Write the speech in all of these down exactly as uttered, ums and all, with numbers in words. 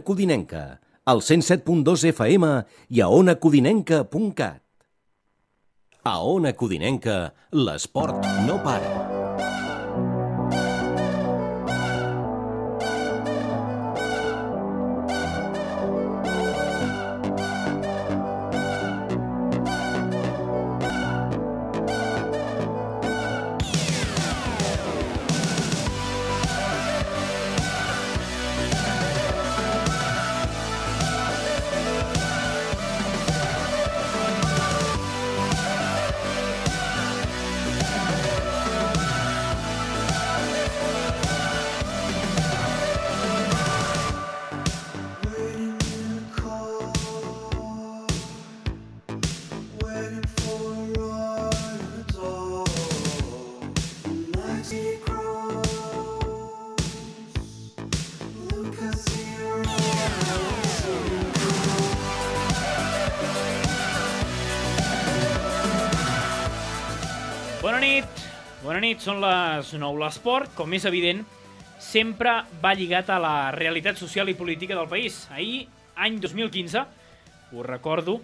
Codinenca, al cent set punt dos F M i a ona codinenca punt cat. A Ona Codinenca, l'esport no para. Bona nit, bona nit, són les nou. L'esport, com és evident, sempre va lligat a la realitat social i política del país. Ahir, any dos mil quinze, ho recordo,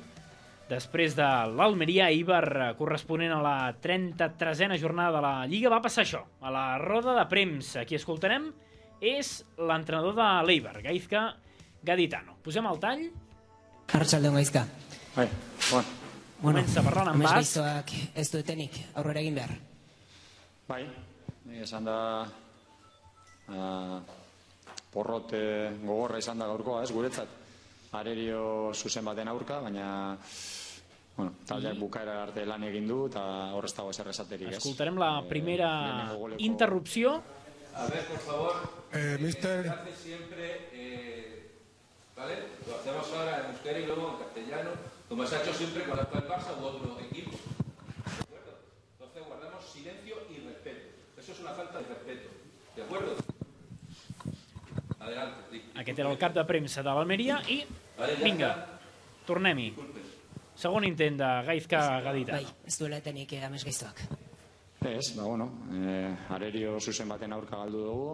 després de l'Almeria Eibar corresponent a la trenta-tresena jornada de la Lliga, va passar això, a la roda de premsa. Qui escoltarem és l'entrenador de l'Eibar, Gaizka Gaditano. Posem el tall. Arratsaldeon, Gaizka. Bai, bon. Bueno, comença parlant en basc. Gaiztoak ez duetenik aurrera egin behar. Bai, esan da uh, porrote gogorra izan da gaurkoa, ez, guretzat. Arerio zuzen baten aurka, baina bueno, taldeak bukaera arte lan egin du eta horrez dago ezer esaterik, ez. Escoltarem la primera eh, interrupció. A ver, por favor, eh, mister... hace siempre, eh, ¿vale? Lo hacemos ahora en euskera y luego en castellano, como se ha hecho siempre con el Barça u otro equipo. ¿De acuerdo? Entonces guardamos silencio y respeto. Eso es una falta de respeto. ¿De acuerdo? Adelante, Rick. Aquest era el cap de premsa de l'Almeria i, vinga, tornem-hi. Segon intent de Gaizka Gaditano. Bai, ez duela etenik amets Gaiztoak. Ez, ba, bueno, eh, Arerio zuzen baten aurka galdu dugu,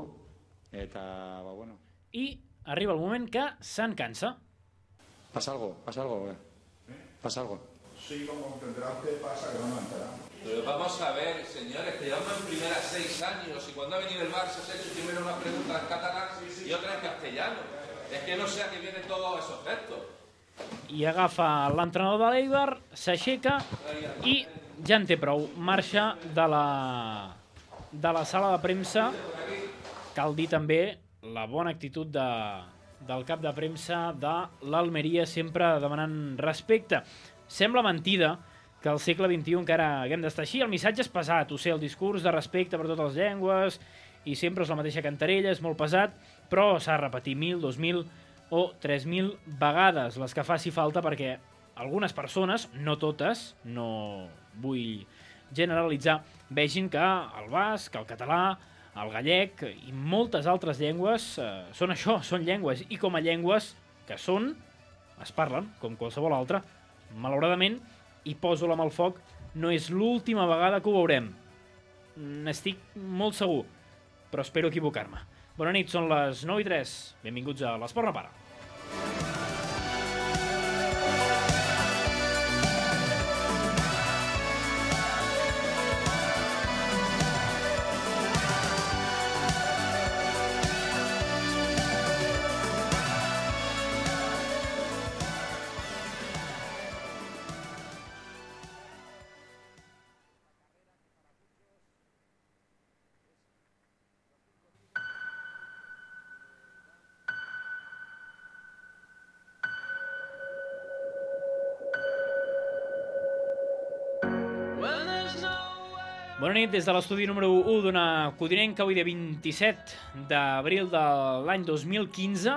eta, ba, bueno. I arriba el moment que se'n cansa. Pasa algo, pasa algo, eh. ¿Pasa algo? Sí, como comprenderá usted, pasa que no me entera. Pero vamos a ver, señores, que llevamos en primera seis años y cuando ha venido el Barça se ha hecho primero una pregunta en catalán y otra en castellano. Es que no sé a qué vienen todos esos gestos. I agafa l'entrenador de l'Eibar, s'aixeca i ja en té prou. Marxa de la, de la sala de premsa. Cal dir també la bona actitud de, del cap de premsa de l'Almeria, sempre demanant respecte. Sembla mentida que al segle vint-i-u encara haguem d'estar així. El missatge és pesat, ho sé, el discurs de respecte per totes les llengües, i sempre és la mateixa cantarella, és molt pesat, però s'ha de repetir mil, dos mil o tres mil vegades, les que faci falta, perquè algunes persones, no totes, no vull generalitzar, vegin que el basc, el català, el gallec i moltes altres llengües eh, són això, són llengües, i com a llengües que són, es parlen, com qualsevol altra. Malauradament, i poso la mà al foc, no és l'última vegada que ho veurem. N'estic molt segur, però espero equivocar-me. Bona nit, són les nou i tres. Benvinguts a l'Esport no para. Bona nit, des de l'estudi número u d'Ona Codinenca, avui de vint-i-set d'abril de l'any dos mil quinze,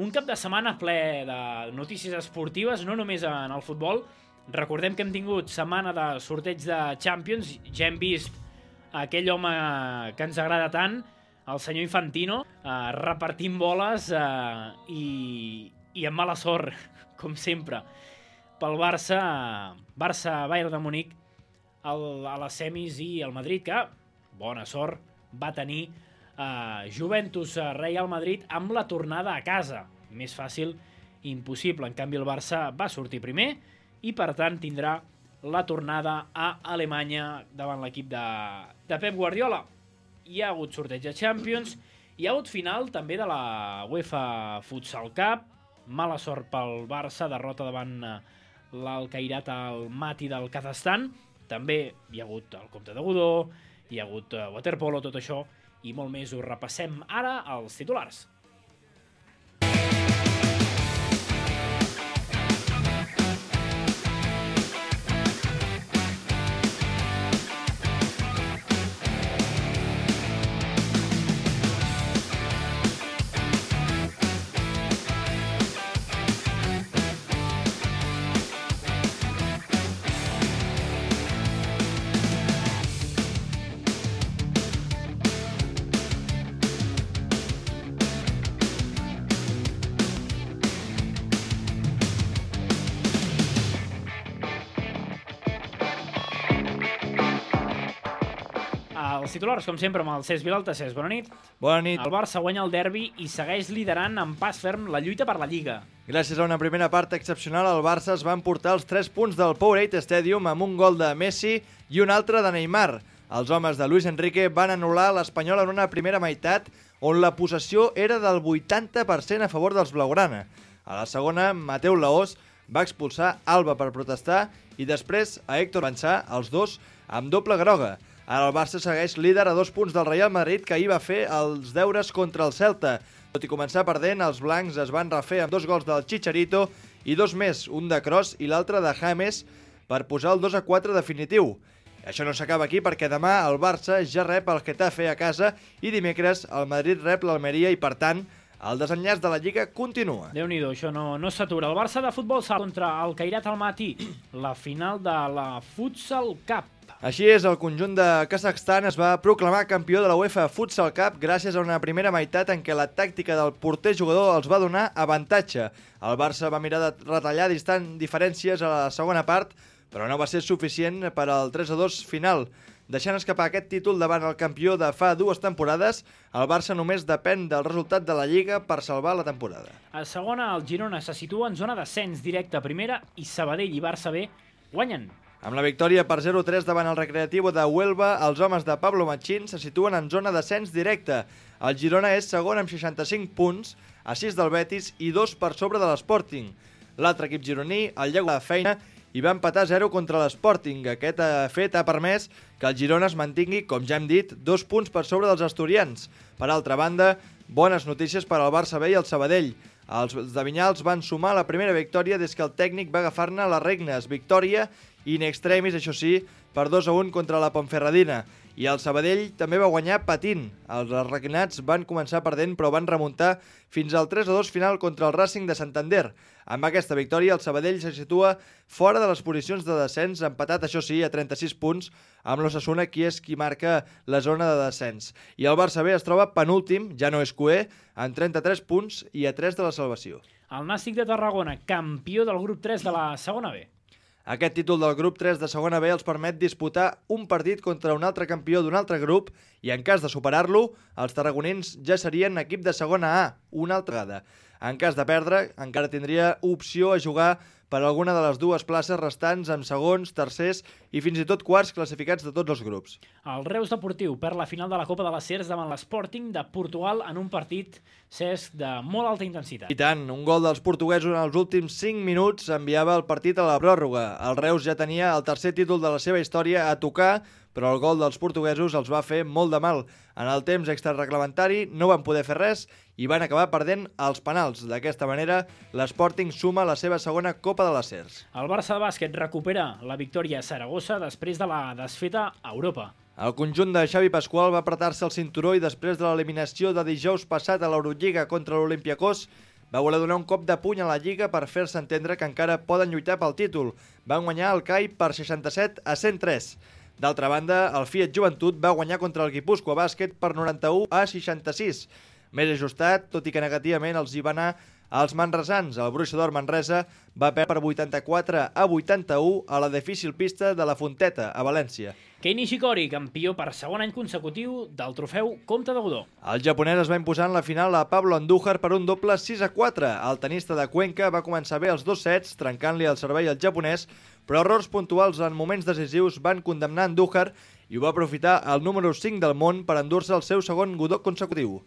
un cap de setmana ple de notícies esportives, no només en el futbol. Recordem que hem tingut setmana de sorteig de Champions, ja hem vist aquell home que ens agrada tant, el senyor Infantino, eh, repartint boles eh, i, i amb mala sort, com sempre, pel Barça, Barça-Bayern de Munic, El, a les semis, i el Madrid, que, bona sort, va tenir eh, Juventus-Real Madrid amb la tornada a casa. més fàcil impossible. En canvi, el Barça va sortir primer i, per tant, tindrà la tornada a Alemanya davant l'equip de, de Pep Guardiola. Hi ha hagut sorteig de Champions, hi ha hagut final també de la UEFA Futsal Cup, mala sort pel Barça, derrota davant l'Al-Khairat al Mati del Kazakhstan, també hi ha hagut el Comte de Godó, hi ha hagut waterpolo, tot això i molt més. Ho repassem ara als titulars. Els titulars, com sempre, amb el Cesc Vilalta. Cesc, bona nit. Bona nit. El Barça guanya el derbi i segueix liderant amb pas ferm la lluita per la Lliga. Gràcies a una primera part excepcional, el Barça es va emportar els tres punts del Powerade Stadium amb un gol de Messi i un altre de Neymar. Els homes de Luis Enrique van anul·lar l'Espanyol en una primera meitat on la possessió era del vuitanta per cent a favor dels blaugrana. A la segona, Mateu Laós va expulsar Alba per protestar i després a Héctor Bansà, els dos amb doble groga. Ara el Barça segueix líder a dos punts del Real Madrid, que ahir va fer els deures contra el Celta. Tot i començar perdent, els blancs es van refer amb dos gols del Chicharito i dos més, un de Kroos i l'altre de James, per posar el dos a quatre definitiu. Això no s'acaba aquí perquè demà el Barça ja rep el Getafe a casa i dimecres el Madrid rep l'Almeria i, per tant, el desenllaç de la Lliga continua. Déu-n'hi-do, això no, no s'atura. El Barça de futbol sala contra el Khairat al Mati, la final de la Futsal Cup. Així és, el conjunt de Kazakhstan es va proclamar campió de la UEFA Futsal Cup gràcies a una primera meitat en què la tàctica del porter jugador els va donar avantatge. El Barça va mirar de retallar distant diferències a la segona part, però no va ser suficient per al tres a dos final. Deixant escapar aquest títol davant el campió de fa dues temporades, el Barça només depèn del resultat de la Lliga per salvar la temporada. A segona, el Girona se situa en zona d'ascens directe a primera i Sabadell i Barça B guanyen. Amb la victòria per zero a tres davant el Recreativo de Huelva, els homes de Pablo Machín se situen en zona d'ascens directe. El Girona és segon amb seixanta-cinc punts, a sis del Betis i dos per sobre de l'Sporting. L'altre equip gironí, el Llego de Feina, i va empatar zero contra l'Sporting. Aquest fet ha permès que el Girona es mantingui, com ja hem dit, dos punts per sobre dels asturians. Per altra banda, bones notícies per al Barça B i el Sabadell. Els de Vinyals van sumar la primera victòria des que el tècnic va agafar-ne les regnes. Victòria in extremis, això sí, per dos a un contra la Ponferradina. I el Sabadell també va guanyar patint. Els arlequinats van començar perdent però van remuntar fins al tres a dos final contra el Racing de Santander. Amb aquesta victòria el Sabadell se situa fora de les posicions de descens, empatat això sí a trenta-sis punts amb l'Osasuna, qui és qui marca la zona de descens. I el Barça B es troba penúltim, ja no és cuer, en trenta-tres punts i a tres de la salvació. El Nàstic de Tarragona, campió del grup tres de la segona B. Aquest títol del grup tres de segona B els permet disputar un partit contra un altre campió d'un altre grup i en cas de superar-lo, els tarragonins ja serien equip de segona A una altra vegada. En cas de perdre, encara tindria opció a jugar per alguna de les dues places restants amb segons, tercers i fins i tot quarts classificats de tots els grups. El Reus Deportiu perd la final de la Copa de les Cers davant l'Sporting de Portugal en un partit, Cesc, de molt alta intensitat. I tant, un gol dels portuguesos en els últims cinc minuts enviava el partit a la pròrroga. El Reus ja tenia el tercer títol de la seva història a tocar, però el gol dels portuguesos els va fer molt de mal. En el temps extrareglamentari no van poder fer res i van acabar perdent els penals. D'aquesta manera, l'Sporting suma la seva segona Copa de les Cers. El Barça de bàsquet recupera la victòria a Saragossa després de la desfeta a Europa. El conjunt de Xavi Pasqual va apretar-se el cinturó i després de l'eliminació de dijous passat a l'Eurolliga contra l'Olympiakos va voler donar un cop de puny a la Lliga per fer-se entendre que encara poden lluitar pel títol. Van guanyar el C A I per seixanta-set a cent tres. D'altra banda, el Fiat Joventut va guanyar contra el Guipúscoa Bàsquet per noranta-u a seixanta-sis. Més ajustat, tot i que negativament els hi va anar Els manresans, el Bruixa d'Or Manresa, va perdre per vuitanta-quatre a vuitanta-u a la difícil pista de la Fonteta, a València. Kei Nishikori, campió per segon any consecutiu del trofeu Comte de Godó. El japonès es va imposar en la final a Pablo Andújar per un doble sis a quatre. El tenista de Cuenca va començar bé els dos sets, trencant-li el servei al japonès, però errors puntuals en moments decisius van condemnar Andújar i ho va aprofitar el número cinc del món per endur-se el seu segon Godó consecutiu.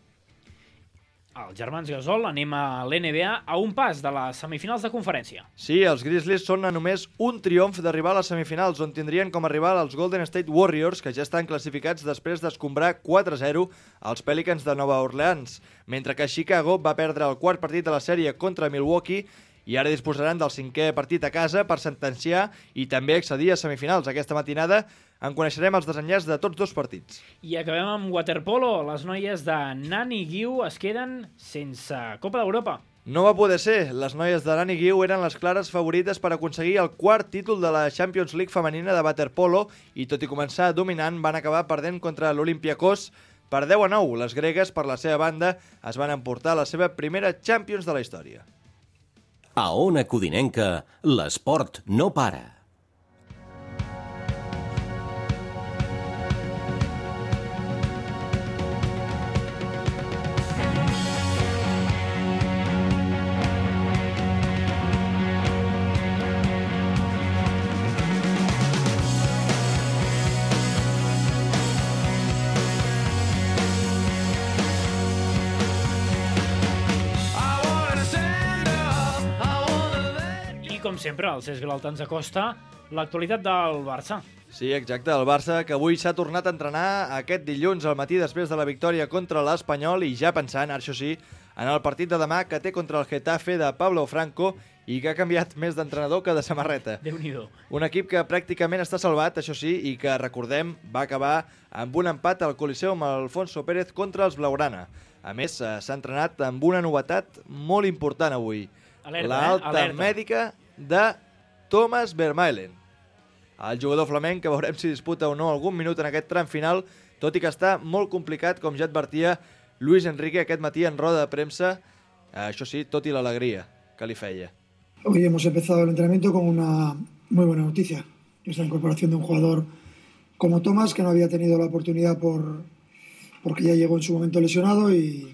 Els germans Gasol anem a l'N B A a un pas de les semifinals de conferència. Sí, els Grizzlies són a només un triomf d'arribar a les semifinals, on tindrien com a rival els Golden State Warriors, que ja estan classificats després d'escombrar quatre a zero als Pelicans de Nova Orleans, mentre que Chicago va perdre el quart partit de la sèrie contra Milwaukee i ara disposaran del cinquè partit a casa per sentenciar i també accedir a semifinals. Aquesta matinada en coneixerem els desenllaços de tots dos partits. I acabem amb waterpolo. Les noies de Nani Guiu es queden sense Copa d'Europa. No va poder ser. Les noies de Nani Guiu eren les clares favorites per aconseguir el quart títol de la Champions League femenina de waterpolo i, tot i començar dominant, van acabar perdent contra l'Olympiakos per deu a nou. Les gregues, per la seva banda, es van emportar la seva primera Champions de la història. A Ona Codinenca, l'esport no para. Com sempre, el Cesc Vilalta ens acosta l'actualitat del Barça. Sí, exacte, el Barça, que avui s'ha tornat a entrenar aquest dilluns al matí després de la victòria contra l'Espanyol i ja pensant, això sí, en el partit de demà que té contra el Getafe de Pablo Franco i que ha canviat més d'entrenador que de samarreta. Déu-n'hi-do. Un equip que pràcticament està salvat, això sí, i que, recordem, va acabar amb un empat al Coliseu amb Alfonso Pérez contra els Blaugrana. A més, s'ha entrenat amb una novetat molt important avui. Alerta, L'alta eh? Alerta. mèdica de Thomas Vermaelen. El jugador flamenc, que veurem si disputa o no algun minut en aquest tram final, tot i que està molt complicat, com ja advertia Luis Enrique aquest matí en roda de premsa, això sí, tot i l'alegria que li feia. Hoy hemos empezado el entrenamiento con una muy buena noticia. Es la incorporación de un jugador como Thomas, que no había tenido la oportunidad por porque ya llegó en su momento lesionado y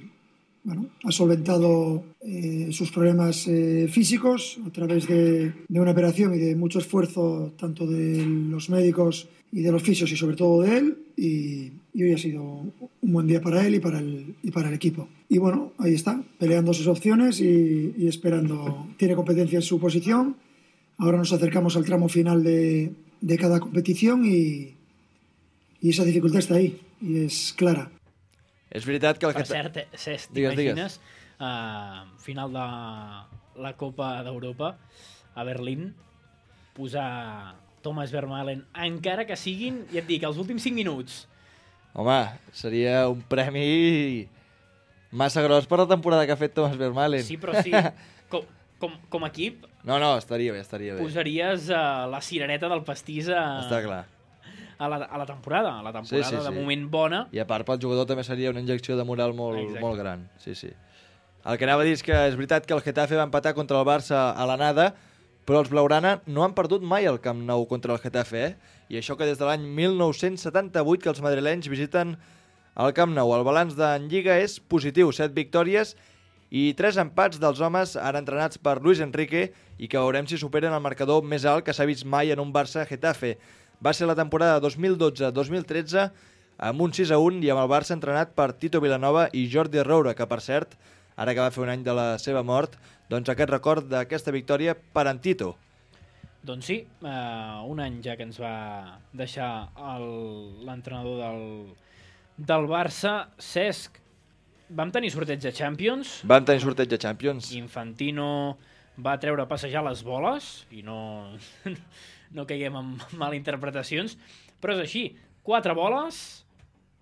bueno, ha solventado eh, sus problemas eh, físicos a través de, de una operación y de mucho esfuerzo tanto de los médicos y de los fisios y sobre todo de él, y, y hoy ha sido un buen día para él y para el, y para el equipo. Y bueno, ahí está, peleando sus opciones y, y esperando. Tiene competencia en su posición. Ahora nos acercamos al tramo final de, de cada competición y, y esa dificultad está ahí y es clara. És veritat que el Per que... cert, Cesc, Digues, t'imagines uh, final de la Copa d'Europa a Berlín posar Thomas Vermaelen, encara que siguin, ja et dic, els últims cinc minuts. Home, seria un premi massa gros per la temporada que ha fet Thomas Vermaelen. Sí, però sí, com, com, com a equip No, no, estaria bé, estaria bé. posaries uh, la cirereta del pastís a, Està clar. a, la, a la temporada. A la temporada Sí, sí, de sí. moment bona. I a part, pel jugador també seria una injecció de moral molt, Exacte. molt gran. Sí, sí. El que anava a dir és que és veritat que el Getafe va empatar contra el Barça a l'anada, però els Blaugrana no han perdut mai el Camp Nou contra el Getafe, eh? I això que des de l'any mil nou-cents setanta-vuit que els madrilenys visiten el Camp Nou. El balanç d'en Lliga és positiu, set victòries i tres empats dels homes ara entrenats per Luis Enrique i que veurem si superen el marcador més alt que s'ha vist mai en un Barça-Getafe. Va ser la temporada dos mil dotze dos mil tretze amb un sis a un i amb el Barça entrenat per Tito Vilanova i Jordi Roura, que per cert, ara que va fer un any de la seva mort, doncs aquest record d'aquesta victòria per en Tito. Doncs sí, uh, un any ja que ens va deixar el- l'entrenador del, del Barça. Cesc, vam tenir sorteig de Champions. Van tenir sorteig de Champions. Infantino va treure a passejar les boles i no, no caiguem en malinterpretacions, però és així, quatre boles,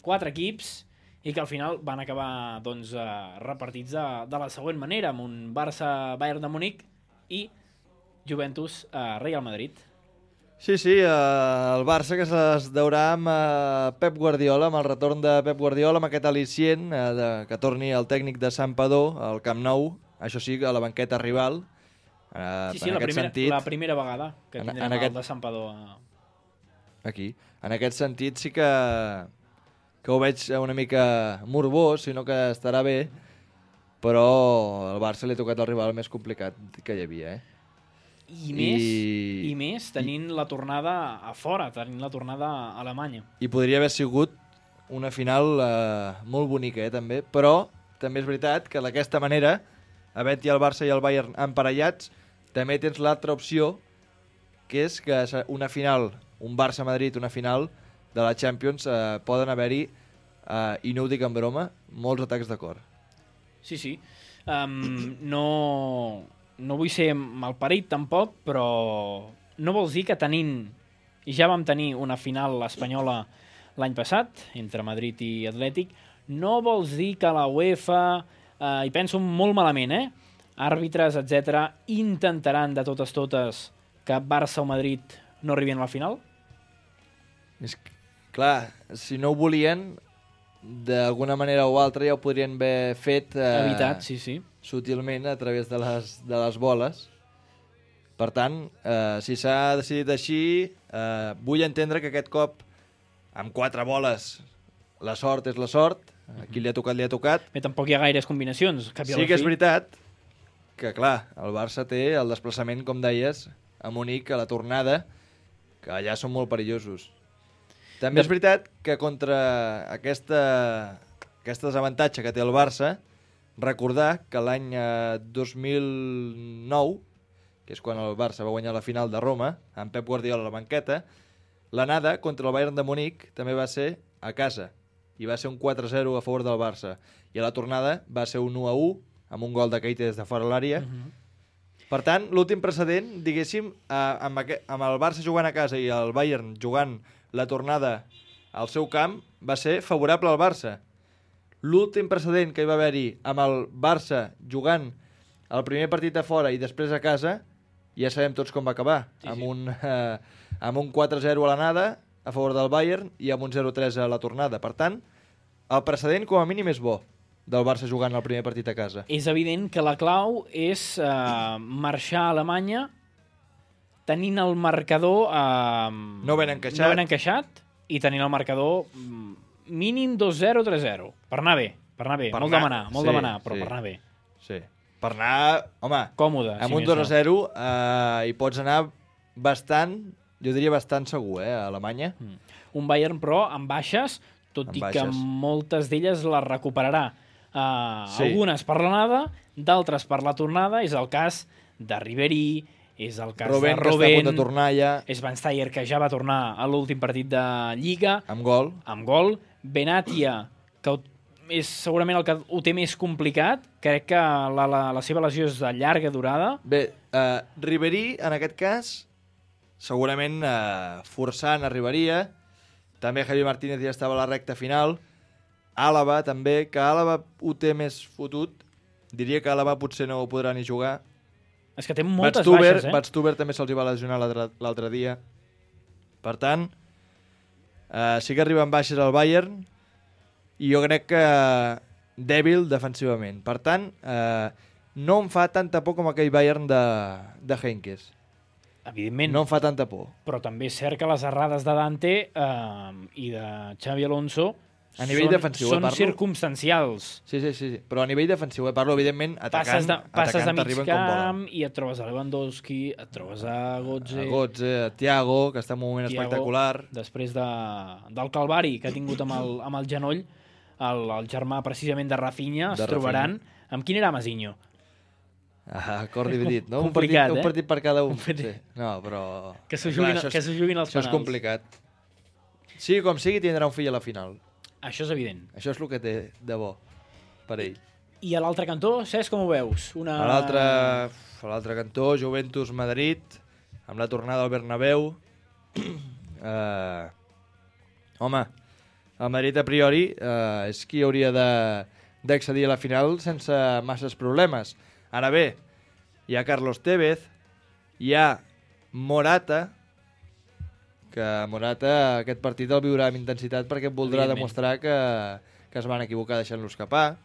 quatre equips, i que al final van acabar doncs, eh, repartits de, de la següent manera, amb un Barça-Bayern de Múnich i Juventus-Real Madrid. Sí, sí, eh, el Barça que es deurà amb eh, Pep Guardiola, amb el retorn de Pep Guardiola, amb aquest al·licient eh, de, que torni el tècnic de Santpedor al Camp Nou, això sí, a la banqueta rival. Eh, Sí, sí, en la aquest primera, sentit, la primera vegada que en- tindrem en el aquest- de Santpedor. a- aquí. En aquest sentit sí que, que ho veig una mica morbós, sinó que estarà bé, però al Barça li ha tocat el rival més complicat que hi havia, eh? I més, I- i més tenint la tornada a fora, tenint la tornada a Alemanya. I podria haver sigut una final eh, molt bonica, eh, també, però també és veritat que d'aquesta manera, havent-hi el Barça i el Bayern emparellats, també tens l'altra opció, que és que una final, un Barça-Madrid, una final de la Champions, eh, poden haver-hi, eh, i no ho dic en broma, molts atacs de cor. Sí, sí. Um, no, no vull ser malparit tampoc, però no vols dir que tenint, i ja vam tenir una final espanyola l'any passat, entre Madrid i Atlètic, no vols dir que la UEFA, eh, i penso molt malament, eh? àrbitres, etcètera, intentaran de totes totes que Barça o Madrid no arribin a la final? És que, clar, si no ho volien, d'alguna manera o altra ja ho podrien haver fet eh, Evitat, sí, sí. sutilment a través de les, de les boles. Per tant, eh, si s'ha decidit així, eh, vull entendre que aquest cop, amb quatre boles, la sort és la sort, a qui li ha tocat, li ha tocat. Bé, tampoc hi ha gaires combinacions. Cap i a Sí la que és fi. veritat que, clar, el Barça té el desplaçament, com deies, a Munic, a la tornada, que allà són molt perillosos. També és veritat que contra aquesta, aquest desavantatge que té el Barça, recordar que l'any eh, dos mil nou, que és quan el Barça va guanyar la final de Roma, amb Pep Guardiola a la banqueta, l'anada contra el Bayern de Munic també va ser a casa, i va ser un quatre a zero a favor del Barça. I a la tornada va ser un u a u, amb un gol de Keita des de fora de l'àrea. Uh -huh. Per tant, l'últim precedent, diguéssim, eh, amb, aquest, amb el Barça jugant a casa i el Bayern jugant la tornada al seu camp, va ser favorable al Barça. L'últim precedent que hi va haver-hi amb el Barça jugant el primer partit a fora i després a casa, ja sabem tots com va acabar, Sí, amb, sí. un, eh, amb un quatre a zero a l'anada a favor del Bayern i amb un zero a tres a la tornada. Per tant, el precedent com a mínim és bo del Barça jugant el primer partit a casa. És evident que la clau és eh, marxar a Alemanya tenint el marcador eh, No ben encaixat. no ben encaixat i tenint el marcador mm, mínim dos zero, tres zero. Per anar bé, per anar bé. Per molt anar- demanar, molt sí, demanar, però sí. per anar bé. Sí. Per anar, home, Còmode. amb si un més dos a no. zero eh, hi pots anar bastant, jo diria bastant segur, eh, a Alemanya. Un Bayern, però, amb baixes, tot Amb i que baixes. moltes d'elles les recuperarà. Uh, Sí. Algunes per l'anada, d'altres per la tornada. És el cas de Ribéry, és el cas Robben, de que està a punt de Robben, tornar ja, és Van Steyer, que ja va tornar a l'últim partit de Lliga, amb gol. amb gol. Benatia, que ho- és segurament el que ho té més complicat. Crec que la, la, la seva lesió és de llarga durada. Bé, eh, Ribéry, en aquest cas, segurament eh, forçant arribaria. També Javi Martínez ja estava a la recta final. Àlava, també, que Àlava ho té més fotut. Diria que Àlava potser no ho podrà ni jugar. És que té moltes Batstuber, baixes, eh? Batstuber també se'ls hi va lesionar l'altre- l'altre dia. Per tant, eh, sí que arriben baixes al Bayern i jo crec que dèbil defensivament. Per tant, eh, no em fa tanta por com aquell Bayern de, de Heynckes. Evidentment. No em fa tanta por. Però també és cert que les errades de Dante eh, i de Xavi Alonso A nivell són, defensiu, eh, són parlo? circumstancials. Sí, sí, sí, sí. Però a nivell defensiu, eh, parlo, evidentment, atacant, Passes de, passes de atacant mig t'arriben com volen. camp i et trobes a Lewandowski, et trobes a Götze, A Götze, a Thiago, que està en un moment Thiago, espectacular. després de, del calvari que ha tingut amb el, amb el genoll, el, el germà precisament de Rafinha, es De trobaran... Amb quin era Mazinho? Ah, acord dividit, no? Complicat, un, partit, eh? un partit per cada un. Un partit. Sí. No, però... Que s'ho Clar, juguin, això és- que s'ho juguin els Això és penals. complicat. Sí, com sigui, tindrà un fill a la final. Això és evident. Això és el que té de bo per ell. I a l'altre cantó, Cesc, com ho veus? Una... A l'altre a l'altre cantó, Juventus-Madrid, amb la tornada al Bernabéu. eh, home, el Madrid a priori eh, és qui hauria de- d'accedir a la final sense masses problemes. Ara bé, hi ha Carlos Tevez, hi ha Morata, que Morata aquest partit el viurà amb intensitat perquè voldrà Evidentment. demostrar que, que es van equivocar deixant-lo escapar.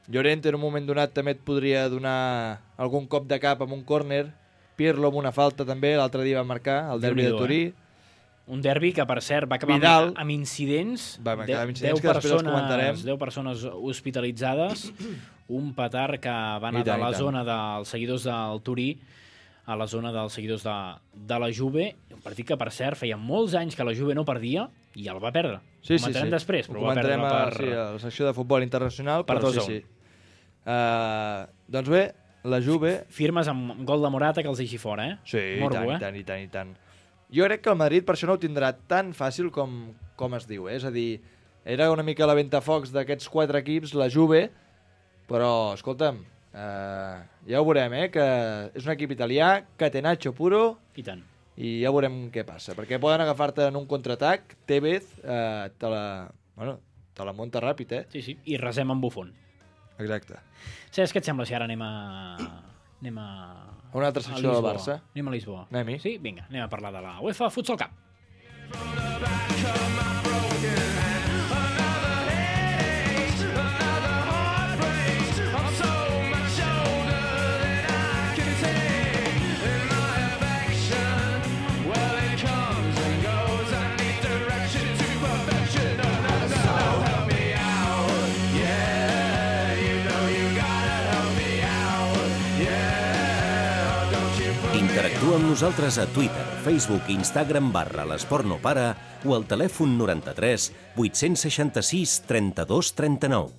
Llorente en un moment donat també et podria donar algun cop de cap amb un córner. Pirlo amb una falta també, l'altre dia va marcar, el derbi de Turí. Eh? Un derbi que, per cert, va acabar Vidal, amb, amb incidents. Va acabar amb incidents deu que després els comentarem. persones, deu persones hospitalitzades, un petard que va anar I tant, de la i tant. zona dels seguidors del Turí a la zona dels seguidors de, de la Juve, un partit que, per cert, feia molts anys que la Juve no perdia i el va perdre. Sí, Ho comentarem sí, sí. després, però Ho va perdre comentarem per... a, sí, a la secció de futbol internacional. per però dos a sí, un. sí. Uh, doncs bé, la Juve... Firmes amb gol de Morata que els deixi fora, eh? Sí, Morbo, i tant, eh? i tant, i tant, i tant. Jo crec que el Madrid per això no ho tindrà tan fàcil com, com es diu, eh? És a dir, era una mica la ventafocs d'aquests quatre equips, la Juve, però, escolta'm, eh, ja ho veurem, eh? Que és un equip italià, catenaccio puro, I tant. i ja veurem què passa, perquè poden agafar-te en un contraatac, Tevez eh, te la... Bueno, te la munta ràpid, eh? Sí, sí, i resem amb Buffon. Exacte. Saps què et sembla si ara anem a... anem a... A una altra secció del Barça. Anem a Lisboa. Anem-hi. Sí? Vinga, anem a parlar de la UEFA Futsal Cup. Interactua amb nosaltres a Twitter, Facebook i Instagram barra l'Esport no para o al telèfon noranta-tres vuit-cents seixanta-sis trenta-dos trenta-nou.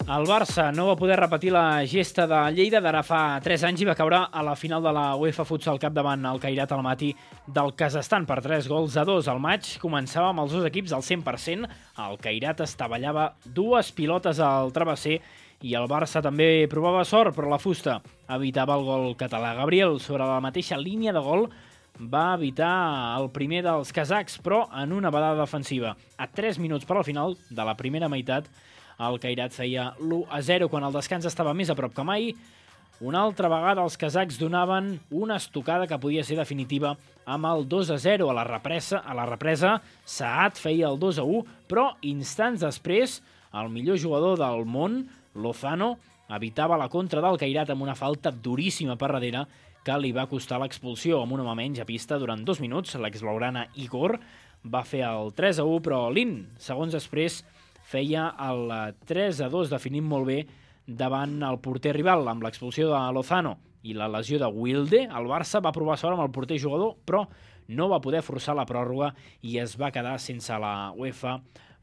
El Barça no va poder repetir la gesta de Lleida d'ara fa tres anys i va caure a la final de la UEFA Futsal Cup davant el Kairat Almaty del Kazakhstan per tres gols a dos. El maig començava amb els dos equips al cent per cent. El Kairat estavellava dues pilotes al travesser i el Barça també provava sort, però la fusta evitava el gol català. Gabriel, sobre la mateixa línia de gol, va evitar el primer dels kazakhs, però en una badada defensiva. A tres minuts per al final de la primera meitat, el Kairat feia l'u a zero quan el descans estava més a prop que mai. Una altra vegada els kazakhs donaven una estocada que podia ser definitiva amb el dos a zero. A la represa, a la represa Saad feia el dos a u, però instants després el millor jugador del món, Lozano, evitava la contra del Kairat amb una falta duríssima per darrere que li va costar l'expulsió. Amb un home menys a pista durant dos minuts, l'exblaugrana Igor va fer el tres a u, però Lin, segons després, feia el tres a dos, definint molt bé davant el porter rival. Amb l'expulsió de Lozano i la lesió de Wilde, el Barça va provar sort amb el porter jugador, però no va poder forçar la pròrroga i es va quedar sense la UEFA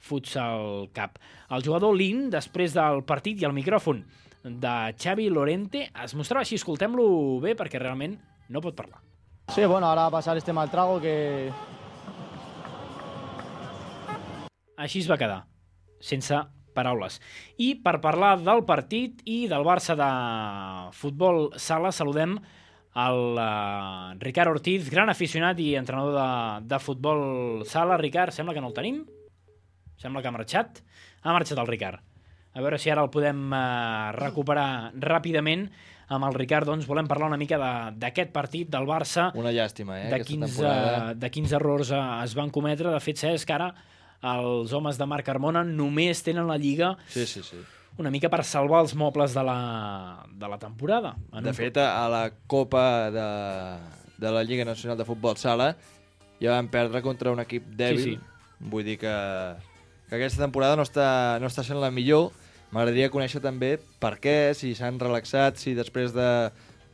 Futsal Cup. El jugador Lin, després del partit i el micròfon de Xavi Lorente, es mostrava així, escoltem-lo bé, perquè realment no pot parlar. Sí, bueno, ahora pasar este mal trago que... Així es va quedar, sense paraules. I per parlar del partit i del Barça de futbol sala, saludem el uh, Ricard Ortiz, gran aficionat i entrenador de, de futbol sala. Ricard, sembla que no el tenim? Sembla que ha marxat. Ha marxat el Ricard. A veure si ara el podem uh, recuperar ràpidament. Amb el Ricard, doncs, volem parlar una mica d'aquest partit del Barça. Una llàstima, eh, de aquesta quins, temporada. uh, de quins errors uh, es van cometre. De fet, saps que ara els homes de Marc Carmona només tenen la Lliga Sí, sí, sí. una mica per salvar els mobles de la, de la temporada. En De un- fet, a la Copa de, de la Lliga Nacional de Futbol Sala ja van perdre contra un equip dèbil. Sí, sí. Vull dir que, que aquesta temporada no està, no està sent la millor. M'agradaria conèixer també per què, si s'han relaxat, si després de,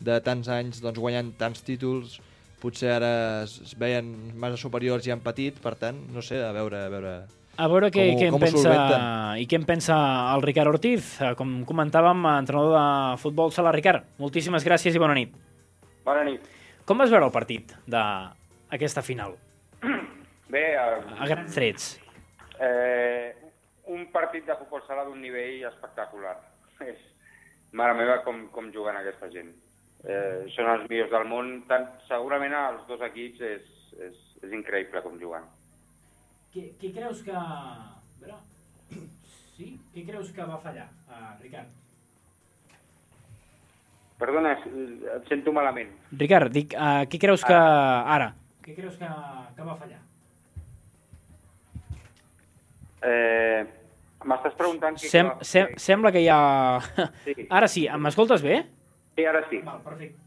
de tants anys doncs, guanyant tants títols potser ara es, es veien massa superiors i han patit, per tant, no sé, a veure... A veure, A veure què, com ho- què en com ho pensa solventen. i què en pensa el Ricard Ortiz. Eh, Com comentàvem, entrenador de futbol sala. Ricard, moltíssimes gràcies i bona nit. Bona nit. Com vas veure el partit d'aquesta final? Bé, eh, A grans trets. eh, un partit de futbol sala d'un nivell espectacular. És, mare meva, com, com juguen aquesta gent. Eh, són els millors del món. Tant, segurament els dos equips és, és, és increïble com juguen. Què, què creus que... A veure... Sí? Què creus que va fallar, uh, Ricard? Perdona, et sento malament. Ricard, dic, uh, què creus que... Ara, què creus que, que va fallar? Eh, M'estàs preguntant... Què Sem que... sem sembla que hi ha... Sí. Ara sí, m'escoltes bé? Sí, ara sí. Val, perfecte.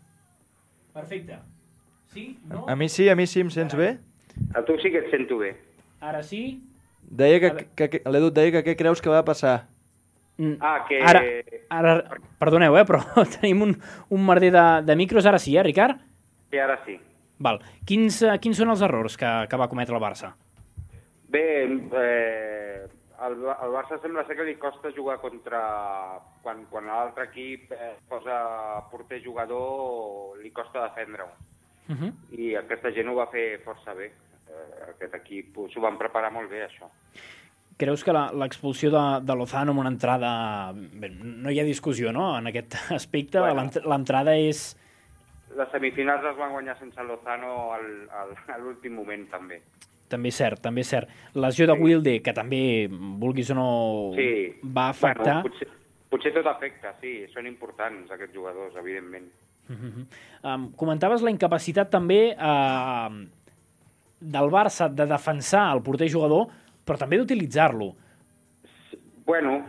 Perfecte. Sí? No? A mi sí, a mi sí, em sents bé? A tu sí que et sento bé. Ara sí? Deia que, que, que l'Edu et deia que què creus que va passar? Ah, que... Ara, ara perdoneu, eh, però tenim un, un merder de, de micros. Ara sí, eh, Ricard? Sí, ara sí. Val. Quins, quins són els errors que, que va cometre el Barça? Bé, eh, al, al Barça sembla ser que li costa jugar contra... Quan, quan l'altre equip eh, posa porter-jugador, li costa defendre-ho. Uh -huh. I aquesta gent ho va fer força bé. Eh, aquest equip s'ho van preparar molt bé, això. Creus que l'expulsió de, de Lozano amb una entrada... Bé, no hi ha discussió, no?, en aquest aspecte. Bueno, l'entrada és... Les semifinals les van guanyar sense Lozano al, al, a l'últim moment, també. També és cert, també és cert. Lesió de sí. Wilde, que també, vulguis o no, sí. va afectar... Bueno, potser, potser tot afecta, sí. Són importants, aquests jugadors, evidentment. Uh -huh. um, comentaves la incapacitat també uh, del Barça de defensar el porter-jugador, però també d'utilitzar-lo. Bueno,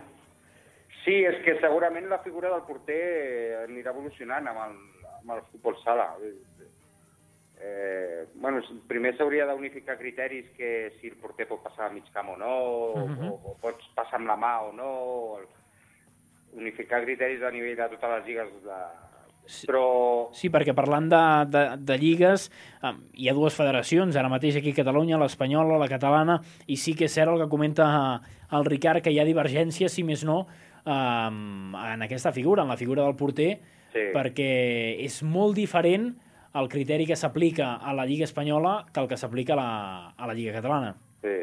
sí, és que segurament la figura del porter anirà evolucionant amb el, amb el futbol sala. Eh, bueno, primer s'hauria d'unificar criteris, que si el porter pot passar a mig camp o no, uh-huh. o, o pots passar amb la mà o no, unificar criteris a nivell de totes les lligues de... Sí. Però... Sí, perquè parlant de, de, de lligues, eh, hi ha dues federacions, ara mateix aquí a Catalunya, l'espanyola, la catalana, i sí que és cert el que comenta el Ricard, que hi ha divergències, si més no, eh, en aquesta figura, en la figura del porter, sí. perquè és molt diferent el criteri que s'aplica a la Lliga Espanyola que el que s'aplica a, la, a la Lliga Catalana. Sí,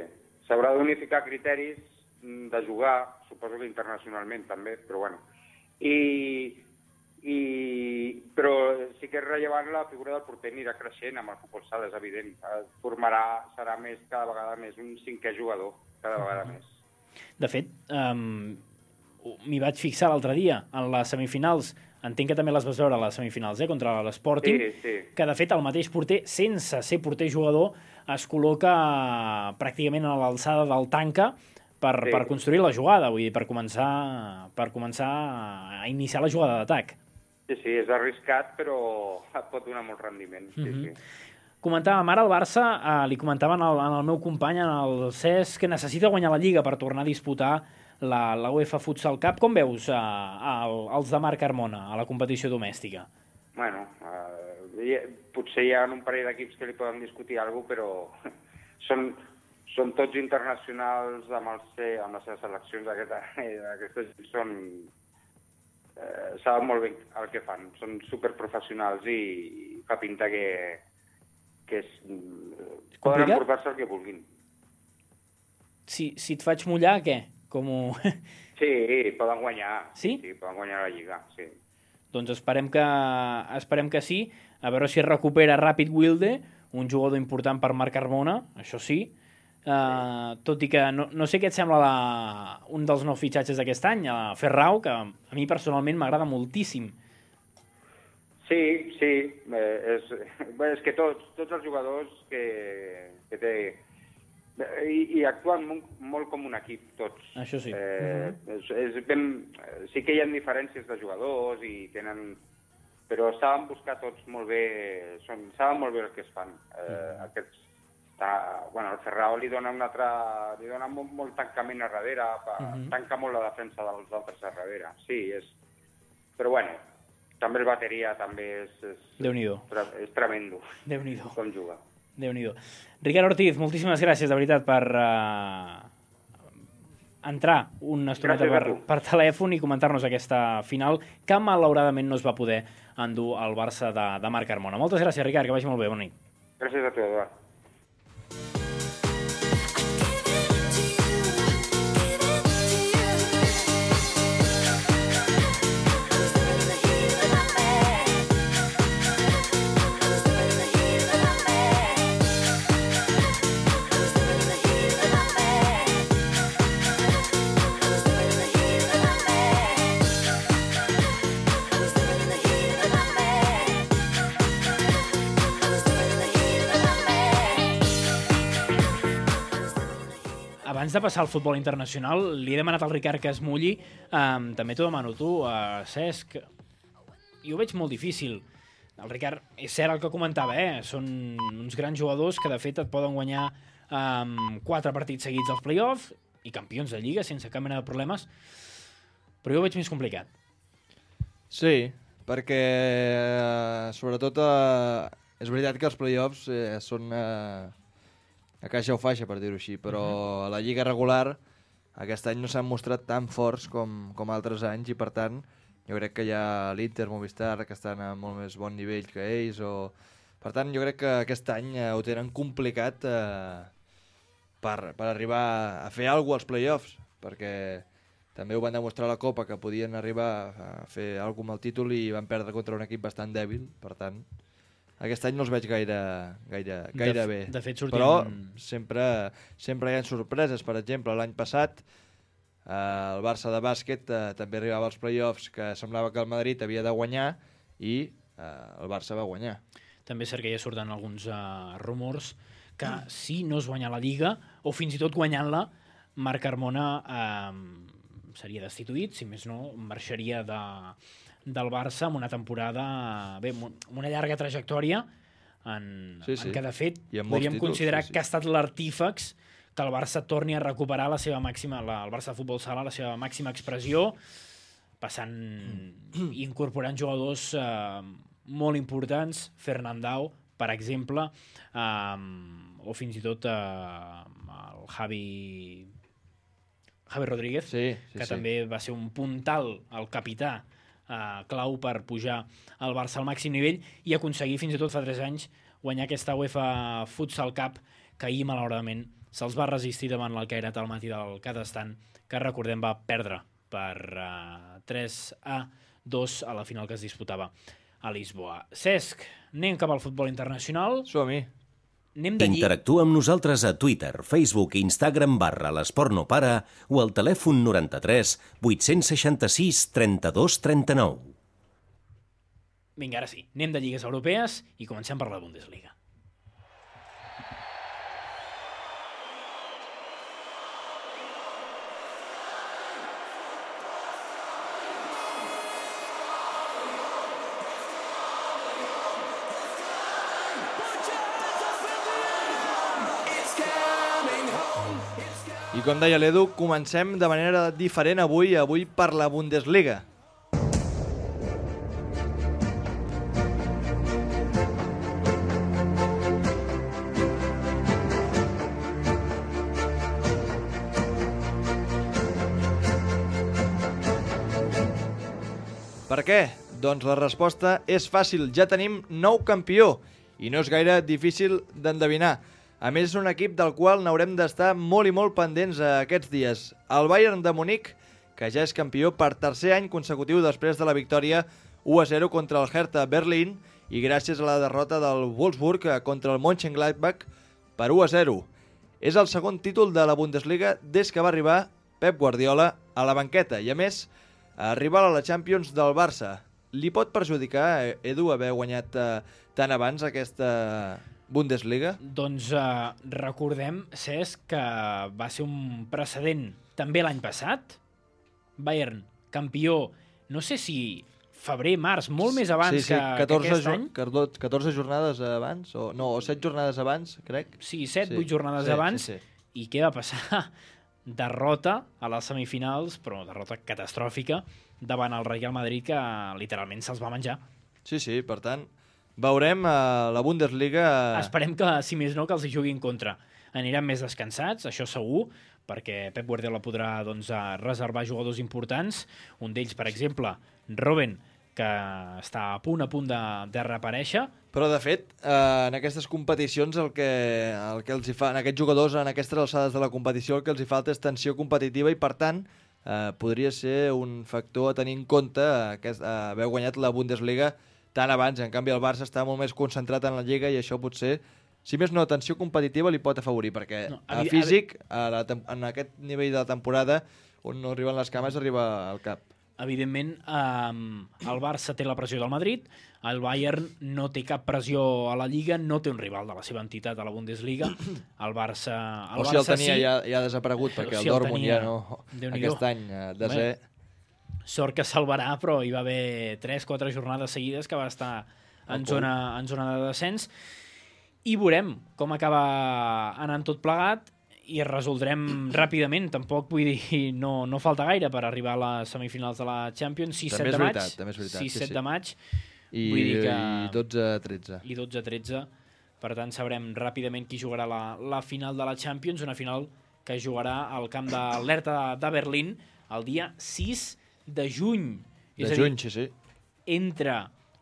s'haurà d'unificar criteris de jugar, suposo que internacionalment també, però bueno. I... I... Però sí que és rellevant, la figura del porter anirà creixent amb el futbol sala, és evident. Formarà, serà més, cada vegada més, un cinquè jugador, cada vegada més. De fet, um, m'hi vaig fixar l'altre dia, en les semifinals, entenc que també les vas veure a les semifinals, eh, contra l'Sporting, sí, sí. que de fet el mateix porter, sense ser porter-jugador, es col·loca pràcticament a l'alçada del tanca per, sí. per construir la jugada, vull dir, per començar, per començar a iniciar la jugada d'atac. Sí, sí, és arriscat, però pot donar molt rendiment. Sí, uh-huh. sí. Comentàvem ara al Barça, eh, li comentaven al, al meu company, el Cesc, que necessita guanyar la Lliga per tornar a disputar la, la UEFA Futsal Cup. Com veus eh, el, els de Marc Carmona a la competició domèstica? Bueno, eh, potser hi ha un parell d'equips que li poden discutir alguna cosa, però són, són tots internacionals amb, el, amb les seves seleccions. Aquestes són... Eh, saben molt bé el que fan, són superprofessionals i, i fa pinta que, que és, poden emportar-se el que vulguin. Si, si et faig mullar, què? Com ho... Sí, poden guanyar. Sí? Sí, poden guanyar la Lliga, sí. Doncs esperem que, esperem que sí, a veure si es recupera ràpid Wilde, un jugador important per Marc Carmona, això sí. Uh, tot i que no, no sé què et sembla la, un dels nous fitxatges d'aquest any, a Ferrao, que a mi personalment m'agrada moltíssim. Sí, sí, eh, és, bé, és que tots, tots els jugadors que, que té i, i actuen molt, molt com un equip, tots. Això sí. Eh, uh-huh. és, és ben, sí que hi ha diferències de jugadors i tenen, però saben buscar tots molt bé, són, saben molt bé el que es fan. Eh, uh-huh. Aquests Bueno, el Ferrao li dona un altre, li dona molt, molt tancament a darrere, uh-huh. tanca molt la defensa dels altres a darrere. Sí, és... Però bueno, també el bateria també és... és Déu-n'hi-do. És tremendo. Déu-n'hi-do. Com juga. Déu-n'hi-do. Ricard Ortiz, moltíssimes gràcies, de veritat, per uh, entrar una estoneta per, per telèfon i comentar-nos aquesta final que malauradament no es va poder endur al Barça de, de Marc Carmona. Moltes gràcies, Ricard, que vagi molt bé. Bona nit. Gràcies a tu, Eduard. I was doing the heat of my man. abans de passar al futbol internacional, li he demanat al Ricard que es mulli, um, també t'ho demano tu, uh, Cesc. Jo ho veig molt difícil. El Ricard, és cert el que comentava, eh? Són uns grans jugadors que de fet et poden guanyar um, quatre partits seguits als play-offs i campions de Lliga sense cap mena de problemes, però jo ho veig més complicat. Sí, perquè eh, sobretot eh, és veritat que els play-offs eh, són eh, a caixa o faixa, per dir-ho així, però uh-huh. a la Lliga regular aquest any no s'han mostrat tan forts com, com altres anys i per tant jo crec que hi ha l'Inter, Movistar, que estan a molt més bon nivell que ells. O... Per tant, jo crec que aquest any eh, ho tenen complicat eh, per, per arribar a fer alguna cosa als play-offs, perquè també ho van demostrar a la Copa, que podien arribar a fer alguna cosa amb el títol i van perdre contra un equip bastant dèbil. Per tant, aquest any no els veig gaire, gaire, gaire de, bé. De fet, sortien... Però sempre, sempre hi ha sorpreses. Per exemple, l'any passat Uh, el Barça de bàsquet uh, també arribava als play-offs que semblava que el Madrid havia de guanyar i uh, el Barça va guanyar. També és cert que ja surten alguns uh, rumors que si no es guanya la Lliga o fins i tot guanyant-la, Marc Carmona uh, seria destituït, si més no marxaria de, del Barça amb una temporada, bé, amb una llarga trajectòria en, sí, sí. en què de fet títols, podríem considerar sí, sí. que ha estat l'artífex que el Barça torni a recuperar la seva màxima, la, el Barça de Futbol Sala, la seva màxima expressió, passant i incorporant jugadors eh, molt importants, Fernandao, per exemple, eh, o fins i tot eh, el Javi, Javi Rodríguez, sí, sí, que sí. també va ser un puntal, el capità, eh, clau per pujar el Barça al màxim nivell i aconseguir fins i tot fa tres anys guanyar aquesta UEFA Futsal Cup que ahir, malauradament, se'ls va resistir davant l'Alcairat al matí del Kazakhstan, que recordem va perdre per uh, tres a dos a la final que es disputava a Lisboa. Cesc, anem cap al futbol internacional. Som-hi. Interactua amb nosaltres a Twitter, Facebook i Instagram barra l'Esport no para o al telèfon noranta-tres vuit-cents seixanta-sis trenta-dos trenta-nou. Vinga, ara sí, anem de lligues europees i comencem per la Bundesliga. I com deia l'Edu, comencem de manera diferent avui, avui per la Bundesliga. Per què? Doncs la resposta és fàcil, ja tenim nou campió i no és gaire difícil d'endevinar. A més, és un equip del qual n'haurem d'estar molt i molt pendents aquests dies. El Bayern de Munic, que ja és campió per tercer any consecutiu després de la victòria u a zero contra el Hertha Berlín i gràcies a la derrota del Wolfsburg contra el Mönchengladbach per u a zero. És el segon títol de la Bundesliga des que va arribar Pep Guardiola a la banqueta i, a més, arribar a la Champions del Barça. Li pot perjudicar, Edu, haver guanyat eh, tant abans aquesta Bundesliga? Doncs eh, recordem, Cesc, que va ser un precedent també l'any passat. Bayern, campió, no sé si febrer, març, molt més abans sí, sí, que, catorze, que aquest any. catorze jornades abans, o no, o set jornades abans, crec. Sí, set, vuit sí. jornades sí, abans. Sí, sí. I què va passar? Derrota a les semifinals, però derrota catastròfica, davant el Real Madrid, que literalment se'ls va menjar. Sí, sí, per tant, veurem a la Bundesliga... Esperem que, si més no, que els hi juguin contra. Aniran més descansats, això segur, perquè Pep Guardiola podrà doncs, reservar jugadors importants. Un d'ells, per exemple, Robben, que està a punt a punt de, de reaparèixer. Però, de fet, eh, en aquestes competicions el que, el que els hi fa, en aquests jugadors, en aquestes alçades de la competició, el que els hi falta és tensió competitiva i, per tant, eh, podria ser un factor a tenir en compte eh, haver guanyat la Bundesliga tant abans. En canvi, el Barça està molt més concentrat en la Lliga i això potser, si més no, tensió competitiva li pot afavorir, perquè no, a, a físic, a la, en aquest nivell de la temporada, on no arriben les cames, arriba al cap. evidentment, eh, el Barça té la pressió del Madrid, el Bayern no té cap pressió a la Lliga, no té un rival de la seva entitat a la Bundesliga. El Barça, el o si el Barça tenia sí, ja, ja ha desaparegut, perquè si el el Dortmund tenia, ja no... Déu-n'hi-do. Aquest any, eh, desè... Sort que salvarà, però hi va haver tres quatre jornades seguides que va estar en zona, en zona de descens. I veurem com acaba anant tot plegat i es resoldrem ràpidament. Tampoc, vull dir, no, no falta gaire per arribar a les semifinals de la Champions. sis set de maig. També és veritat, sis set sí, sí. de maig. I, vull dir que... i dotze a tretze. I dotze a tretze. Per tant, sabrem ràpidament qui jugarà la, la final de la Champions, una final que jugarà al camp de l'Hertha de Berlín el dia sis de juny. De és juny, dir, sí, sí. Entre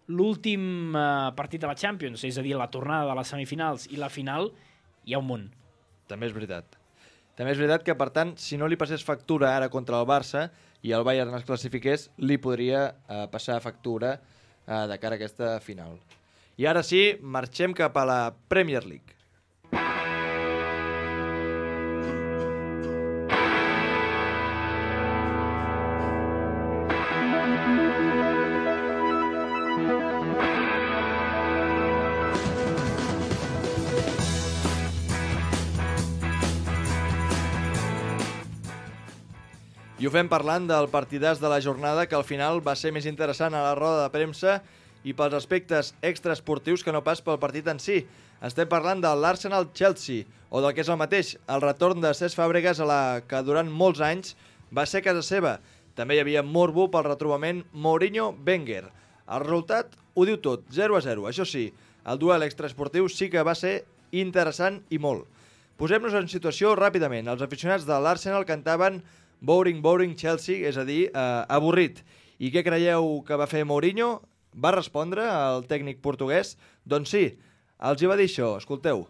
l'últim eh, partit de la Champions, és a dir, la tornada de les semifinals i la final, hi ha un món. També és veritat. També és veritat que, per tant, si no li passés factura ara contra el Barça i el Bayern es classifiqués, li podria eh, passar factura eh, de cara a aquesta final. I ara sí, marxem cap a la Premier League. I ho fem parlant del partidàs de la jornada, que al final va ser més interessant a la roda de premsa i pels aspectes extraesportius que no pas pel partit en si. Estem parlant de l'Arsenal-Chelsea, o del que és el mateix, el retorn de Cesc Fàbregas a la que durant molts anys va ser casa seva. També hi havia morbo pel retrobament Mourinho-Wenger. El resultat ho diu tot, zero a zero. Això sí, el duel extraesportiu sí que va ser interessant i molt. Posem-nos en situació ràpidament. Els aficionats de l'Arsenal cantaven Boring, boring, Chelsea, és a dir, eh, avorrit. I què creieu que va fer Mourinho? Va respondre al tècnic portuguès? Doncs sí, els hi va dir això, escolteu.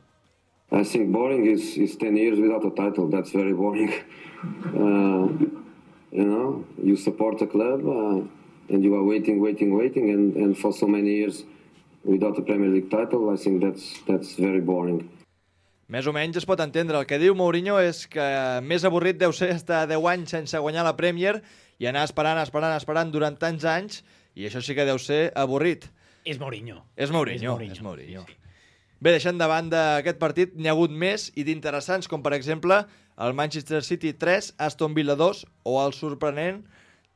I think boring is, is ten years without a title. That's very boring. Uh, you know, you support a club uh, and you are waiting, waiting, waiting, and, and for so many years without a Premier League title, I think that's, that's very boring. Més o menys es pot entendre. El que diu Mourinho és que més avorrit deu ser estar deu anys sense guanyar la Premier i anar esperant, esperant, esperant durant tants anys, i això sí que deu ser avorrit. És Mourinho. És Mourinho. És Mourinho. És Mourinho. Sí, sí. Bé, deixant de banda aquest partit, n'hi ha hagut més i d'interessants, com per exemple el Manchester City tres, Aston Villa dos, o el sorprenent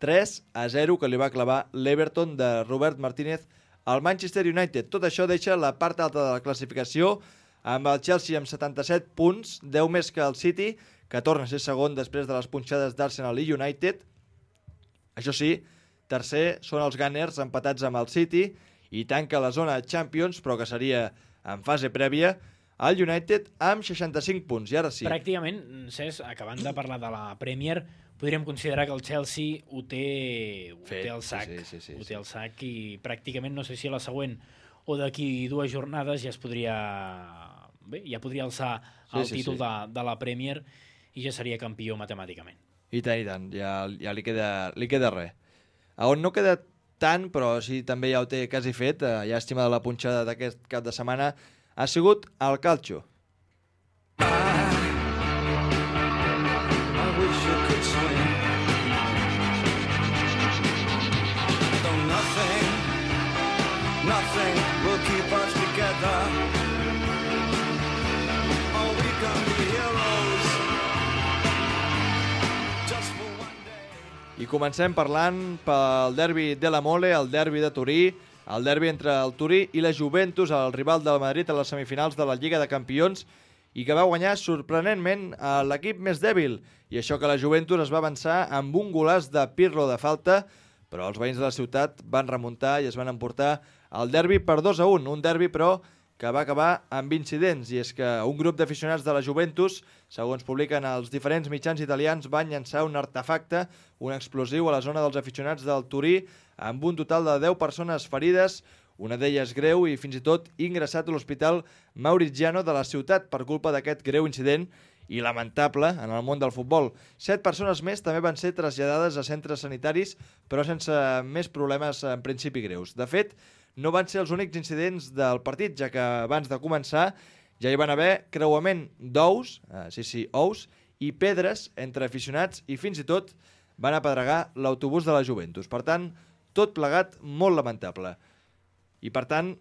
tres a zero que li va clavar l'Everton de Robert Martínez al Manchester United. Tot això deixa la part alta de la classificació amb el Chelsea amb setanta-set punts, deu més que el City, que torna a ser segon després de les punxades d'Arsenal i United. Això sí, tercer són els Gunners empatats amb el City i tanca la zona Champions, però que seria en fase prèvia, el United amb seixanta-cinc punts. I ara sí. Pràcticament, Cesc, acabant de parlar de la Premier, podríem considerar que el Chelsea ho té, ho té al sac. Sí, sí, sí, sí, ho té al sac i pràcticament, no sé si a la següent o d'aquí dues jornades ja es podria... Bé, ja podria alçar el sí, sí, títol sí. De, de la Premier i ja seria campió matemàticament. I tant, i tant, ja, ja li, queda, li queda res. A on no queda tant, però sí també ja ho té quasi fet, eh, llàstima de la punxada d'aquest cap de setmana, ha sigut el Calcio. Nothing will keep us together. Oh, we can be heroes just for one day. I comencem parlant pel derbi de la Mole, el derbi de Turí, el derbi entre el Turí i la Juventus, el rival del Madrid a les semifinals de la Lliga de Campions, i que va guanyar sorprenentment a l'equip més dèbil. I això que la Juventus es va avançar amb un golaç de Pirlo de falta, però els veïns de la ciutat van remuntar i es van emportar el derbi per dos a un, un derbi però que va acabar amb incidents, i és que un grup d'aficionats de la Juventus, segons publiquen els diferents mitjans italians, van llançar un artefacte, un explosiu a la zona dels aficionats del Turí, amb un total de deu persones ferides, una d'elles greu i fins i tot ingressat a l'hospital Mauriziano de la ciutat per culpa d'aquest greu incident i lamentable en el món del futbol. Set persones més també van ser traslladades a centres sanitaris, però sense més problemes en principi greus. De fet, no van ser els únics incidents del partit, ja que abans de començar ja hi van haver creuament d'ous, eh, sí, sí, ous, i pedres entre aficionats, i fins i tot van apedregar l'autobús de la Juventus. Per tant, tot plegat molt lamentable. I per tant,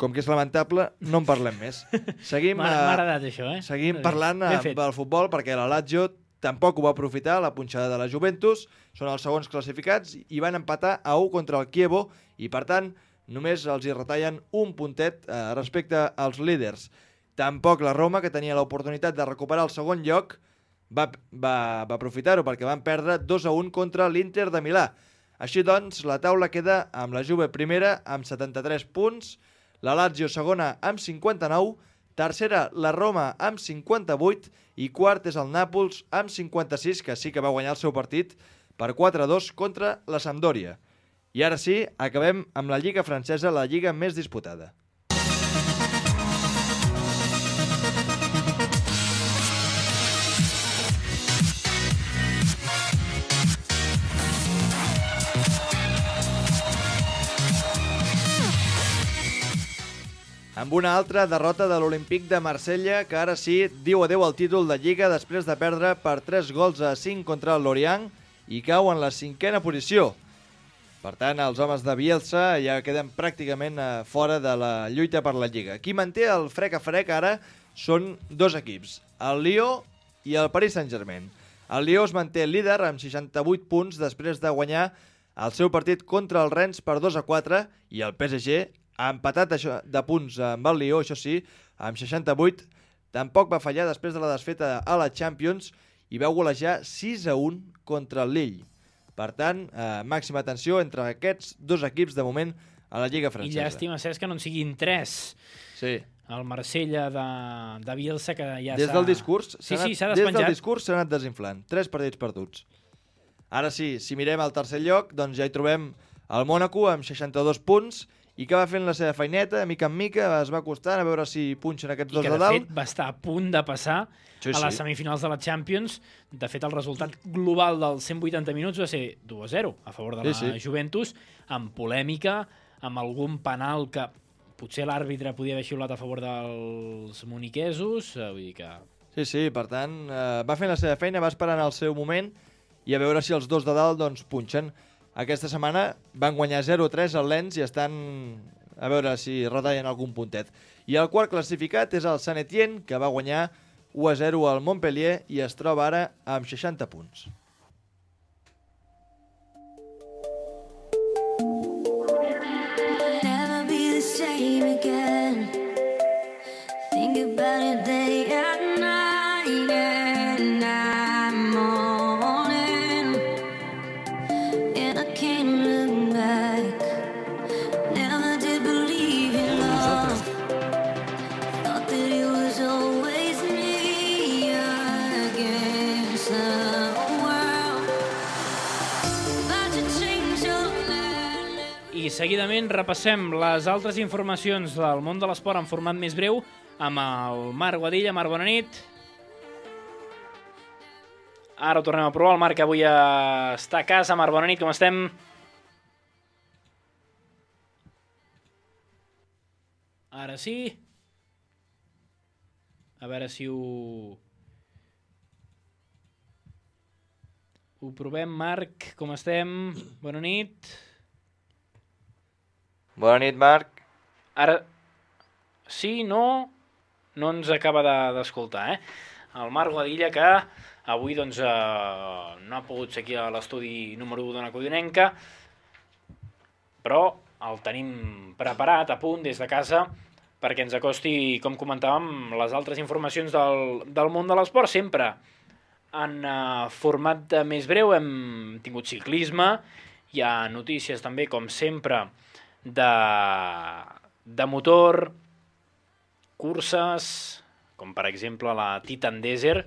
com que és lamentable, no en parlem més. Seguim, M'ha m'ha agradat això, eh? seguim parlant Ben eh, fet. del futbol, perquè la Lazio tampoc ho va aprofitar, la punxada de la Juventus. Són els segons classificats i van empatar a u contra el Chievo i, per tant, només els hi retallen un puntet eh, respecte als líders. Tampoc la Roma, que tenia l'oportunitat de recuperar el segon lloc, va, va, va aprofitar-ho perquè van perdre dos a un contra l'Inter de Milà. Així doncs, la taula queda amb la Juve primera amb setanta-tres punts, la Lazio segona amb cinquanta-nou, tercera la Roma amb cinquanta-vuit i quart és el Nàpols amb cinquanta-sis, que sí que va guanyar el seu partit per quatre a dos contra la Sampdoria. I ara sí, acabem amb la Lliga francesa, la lliga més disputada. Amb una altra derrota de l'Olímpic de Marsella, que ara sí diu adeu al títol de Lliga després de perdre per tres gols a cinc contra el Lorient i cau en la cinquena posició. Per tant, els homes de Bielsa ja queden pràcticament fora de la lluita per la Lliga. Qui manté el frec a frec ara són dos equips, el Lió i el Paris Saint-Germain. El Lió es manté líder amb seixanta-vuit punts després de guanyar el seu partit contra el Rennes per dos a quatre i el P S G ha empatat això, de punts amb el Lió, això sí, amb seixanta-vuit. Tampoc va fallar després de la desfeta a la Champions i veu golejar sis a un contra el Lille. Per tant, eh, màxima atenció entre aquests dos equips de moment a la Lliga francesa. I llàstima, Cesc, que no en siguin tres. Sí. El Marsella de, de Bielsa, que ja des s'ha... del discurs sí, anat, sí, s'ha des despenjat. del discurs s'ha anat desinflant. Tres partits perduts. Ara sí, si mirem al tercer lloc, doncs ja hi trobem el Mònaco amb seixanta-dos punts i que va fent la seva feineta, mica en mica, es va costant a veure si punxen aquests I dos que, de de dalt. fet, va estar a punt de passar Sí, a les sí. semifinals de la Champions. De fet, el resultat global dels cent vuitanta minuts va ser dos a zero a favor de la Sí, sí. Juventus, amb polèmica, amb algun penal que potser l'àrbitre podia haver xiulat a favor dels moniquesos. eh, Vull dir que... Sí, sí, per tant, eh, va fent la seva feina, va esperant el seu moment i a veure si els dos de dalt doncs, punxen. Aquesta setmana van guanyar zero a tres al Lens i estan a veure si retallen algun puntet. I el quart classificat és el Saint Etienne, que va guanyar u a zero al Montpellier i es troba ara amb seixanta punts. Never be the same again. Think about it day and night, and I'm all in. And I can't look back. Never did believe in love. Thought that it was always me against the world. About to change your life. I seguidament repassem les altres informacions del món de l'esport en format més breu amb el Marc Guadilla. Marc, bona nit. Ara ho tornem a provar. El Marc avui està a casa. Marc, bona nit, com estem? Ara sí. A veure si ho... Ho provem, Marc. Com estem? Bona nit. Bona nit, Marc. Ara... Sí, no... No ens acaba de- d'escoltar, eh? El Marc Guadilla, que avui doncs, eh, no ha pogut ser aquí a l'estudi número u d'Ona Codinenca, però el tenim preparat, a punt, des de casa, perquè ens acosti, com comentàvem, les altres informacions del, del món de l'esport, sempre en eh, format de més breu. Hem tingut ciclisme, hi ha notícies també, com sempre, de, de motor, curses, com per exemple la Titan Desert,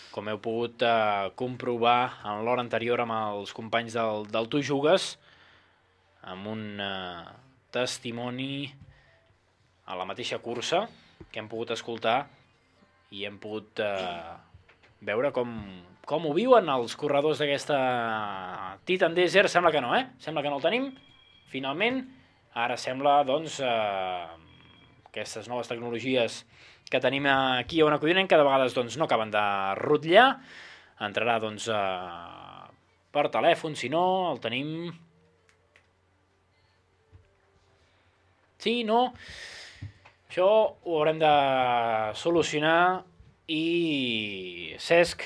com heu pogut eh, comprovar en l'hora anterior amb els companys del, del Tu Jugues, amb un eh, testimoni a la mateixa cursa que hem pogut escoltar i hem pogut eh, veure com, com ho viuen els corredors d'aquesta Titan Desert. Sembla que no, eh? Sembla que no el tenim, finalment. Ara sembla, doncs, eh, aquestes noves tecnologies que tenim aquí a Ona Codinenca, de vegades doncs, no acaben de rutllar. Entrarà doncs, eh, per telèfon, si no, el tenim... Sí, no? Això ho haurem de solucionar i... Cesc,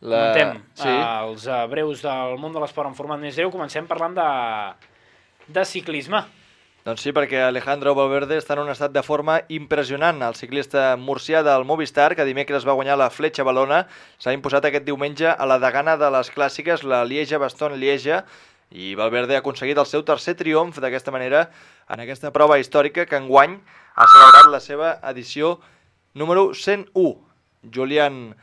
La... comentem Sí. els eh, breus del món de l'esport en format més greu. Comencem parlant de, de ciclisme. Doncs sí, perquè Alejandro Valverde està en un estat de forma impressionant. El ciclista murcià del Movistar, que dimecres va guanyar la Fletxa Valona, s'ha imposat aquest diumenge a la degana de les clàssiques, la Lieja-Bastogne-Lieja, i Valverde ha aconseguit el seu tercer triomf d'aquesta manera en aquesta prova històrica que enguany ha celebrat la seva edició número cent u. Julián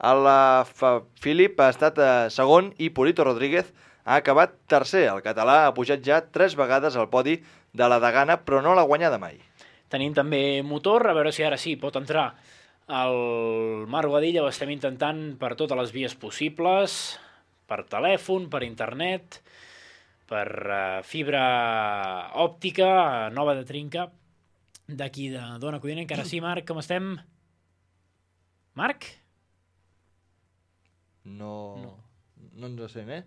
Alaphilippe ha estat eh, segon i Purito Rodríguez ha acabat tercer. El català ha pujat ja tres vegades al podi de la degana, però no l'ha guanyada mai. Tenim també motor, a veure si ara sí pot entrar el Marc Guadilla. Ho estem intentant per totes les vies possibles, per telèfon, per internet, per uh, fibra òptica, nova de trinca, d'aquí de Dona Codina. Encara sí, Marc, com estem? Marc? No, no, no ens sent, eh?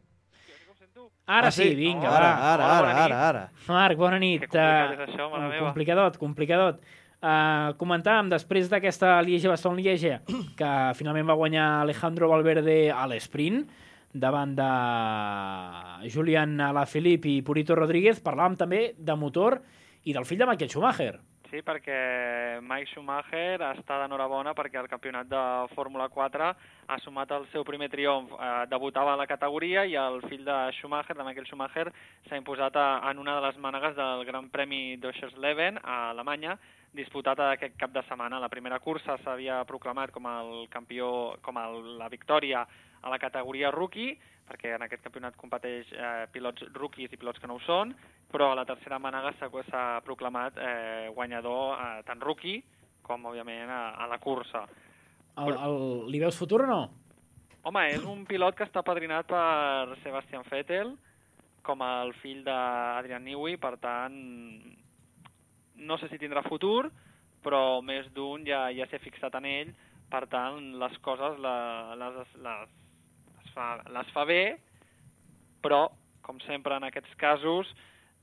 Ara Ah, sí, sí? vinga, Ara, va. ara, ara, ara, ara. Marc, bona nit. Que complicat Eh, és això, mare meva. complicadot, complicadot. Uh, comentàvem després d'aquesta Lieja-Bastogne-Lieja que finalment va guanyar Alejandro Valverde a l'esprint davant de Julián Alaphilippe i Purito Rodríguez. Parlàvem també de motor i del fill de Michael Schumacher. Sí, perquè Mike Schumacher està d'enhorabona perquè el campionat de Fórmula quatre ha sumat el seu primer triomf. Eh, debutava a la categoria i el fill de Schumacher, de Michael Schumacher, s'ha imposat a, en una de les mànegues del Gran Premi d'Oschersleben a Alemanya, disputat aquest cap de setmana. La primera cursa s'havia proclamat com el campió, com el, la victòria a la categoria rookie, perquè en aquest campionat competeix eh, pilots rookies i pilots que no ho són, però a la tercera mànega s'ha proclamat eh, guanyador eh, tant rookie com, òbviament, a, a la cursa. El, el, li veus futur o no? Home, és un pilot que està padrinat per Sebastian Vettel, com el fill d'Adrian Newey, per tant, no sé si tindrà futur, però més d'un ja, ja s'ha fixat en ell, per tant, les coses la, les, les, les, fa, les fa bé, però, com sempre en aquests casos,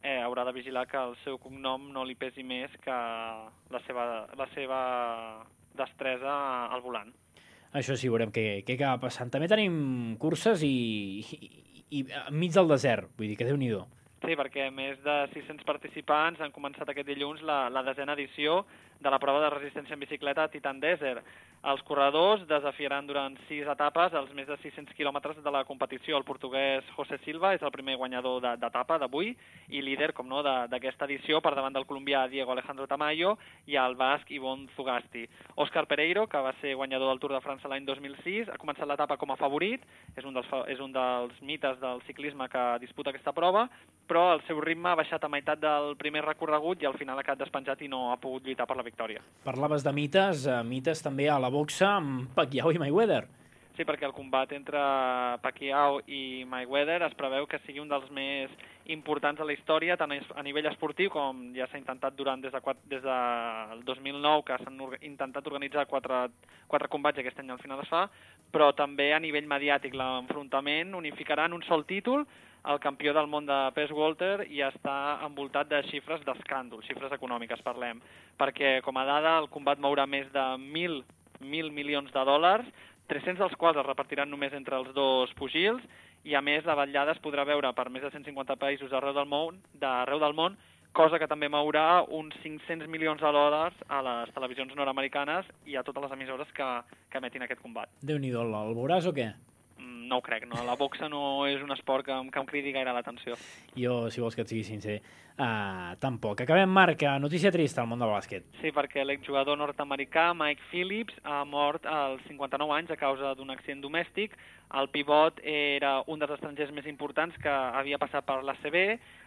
eh, haurà de vigilar que el seu cognom no li pesi més que la seva, la seva destresa al volant. Això sí, veurem què, què acaba passant. També tenim curses i, i, i enmig del desert, vull dir que Déu-n'hi-do. Sí, perquè més de sis-cents participants han començat aquest dilluns la, la desena edició de la prova de resistència en bicicleta Titan Desert. Els corredors desafiaran durant sis etapes els més de sis-cents quilòmetres de la competició. El portuguès José Silva és el primer guanyador d'etapa d'avui i líder, com no, d'aquesta edició per davant del colombià Diego Alejandro Tamayo i el basc Ivonne Zugasti. Òscar Pereiro, que va ser guanyador del Tour de França l'any dos mil sis, ha començat l'etapa com a favorit, és un, dels, és un dels mites del ciclisme que disputa aquesta prova, però el seu ritme ha baixat a meitat del primer recorregut i al final ha quedat despenjat i no ha pogut lluitar per la victòria. Parlaves de mites, uh, mites també a la boxa amb Pacquiao i Mayweather. Sí, perquè el combat entre Pacquiao i Mayweather es preveu que sigui un dels més importants de la història, tant a nivell esportiu, com ja s'ha intentat durant des, de, des del dos mil nou, que s'han intentat organitzar quatre, quatre combats i aquest any al final es fa, però també a nivell mediàtic. L'enfrontament unificarà en un sol títol el campió del món de pes welter i està envoltat de xifres d'escàndol, xifres econòmiques parlem, perquè com a dada el combat mourà més de mil, mil milions de dòlars, tres-cents dels quals es repartiran només entre els dos pugils, i a més la vetllada es podrà veure per més de cent cinquanta països arreu del món, d'arreu del món, cosa que també mourà uns cinc-cents milions de dòlars a les televisions nord-americanes i a totes les emissores que, que emetin aquest combat. Déu-n'hi-do, el veuràs o què? No ho crec, no. La boxa no és un esport que, que em cridi gaire l'atenció. Jo, si vols que et sigui sincer, uh, tampoc. Acabem, Marc, notícia trista al món del bàsquet. Sí, perquè l'exjugador nord-americà Mike Phillips ha mort als cinquanta-nou anys a causa d'un accident domèstic. El pivot era un dels estrangers més importants que havia passat per l'A C B.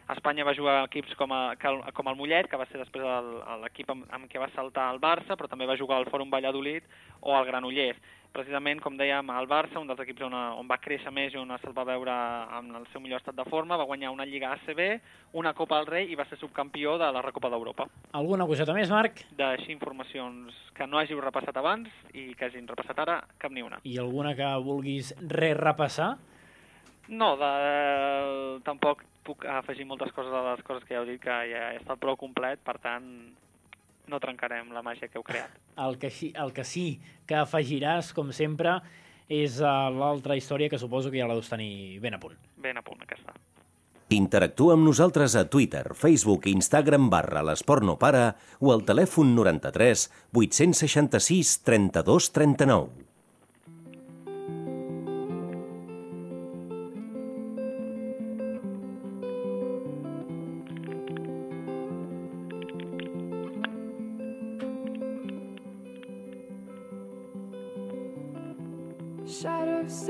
A Espanya va jugar equips com, a, com el Mollet, que va ser després l'equip amb, amb què va saltar al Barça, però també va jugar al Fòrum Valladolid o al Granollers. Precisament, com dèiem, al Barça, un dels equips on, on va créixer més i on se'l va veure en el seu millor estat de forma, va guanyar una Lliga A C B, una Copa del Rei i va ser subcampió de la Recopa d'Europa. Alguna coseta més, Marc? D'així informacions que no hàgiu repassat abans i que hagin repassat ara, cap ni una. I alguna que vulguis re-repassar? No, de, tampoc puc afegir moltes coses a les coses que ja heu dit, que ja he estat prou complet, per tant, no trencarem la màgia que heu creat. El que, el que sí que afegiràs, com sempre, és uh, l'altra història que suposo que ja la deus tenir ben a punt. Ben a punt, aquesta. Interactua amb nosaltres a Twitter, Facebook i Instagram barra l'Esport no para o al telèfon noranta-tres vuit-cents seixanta-sis trenta-dos trenta-nou.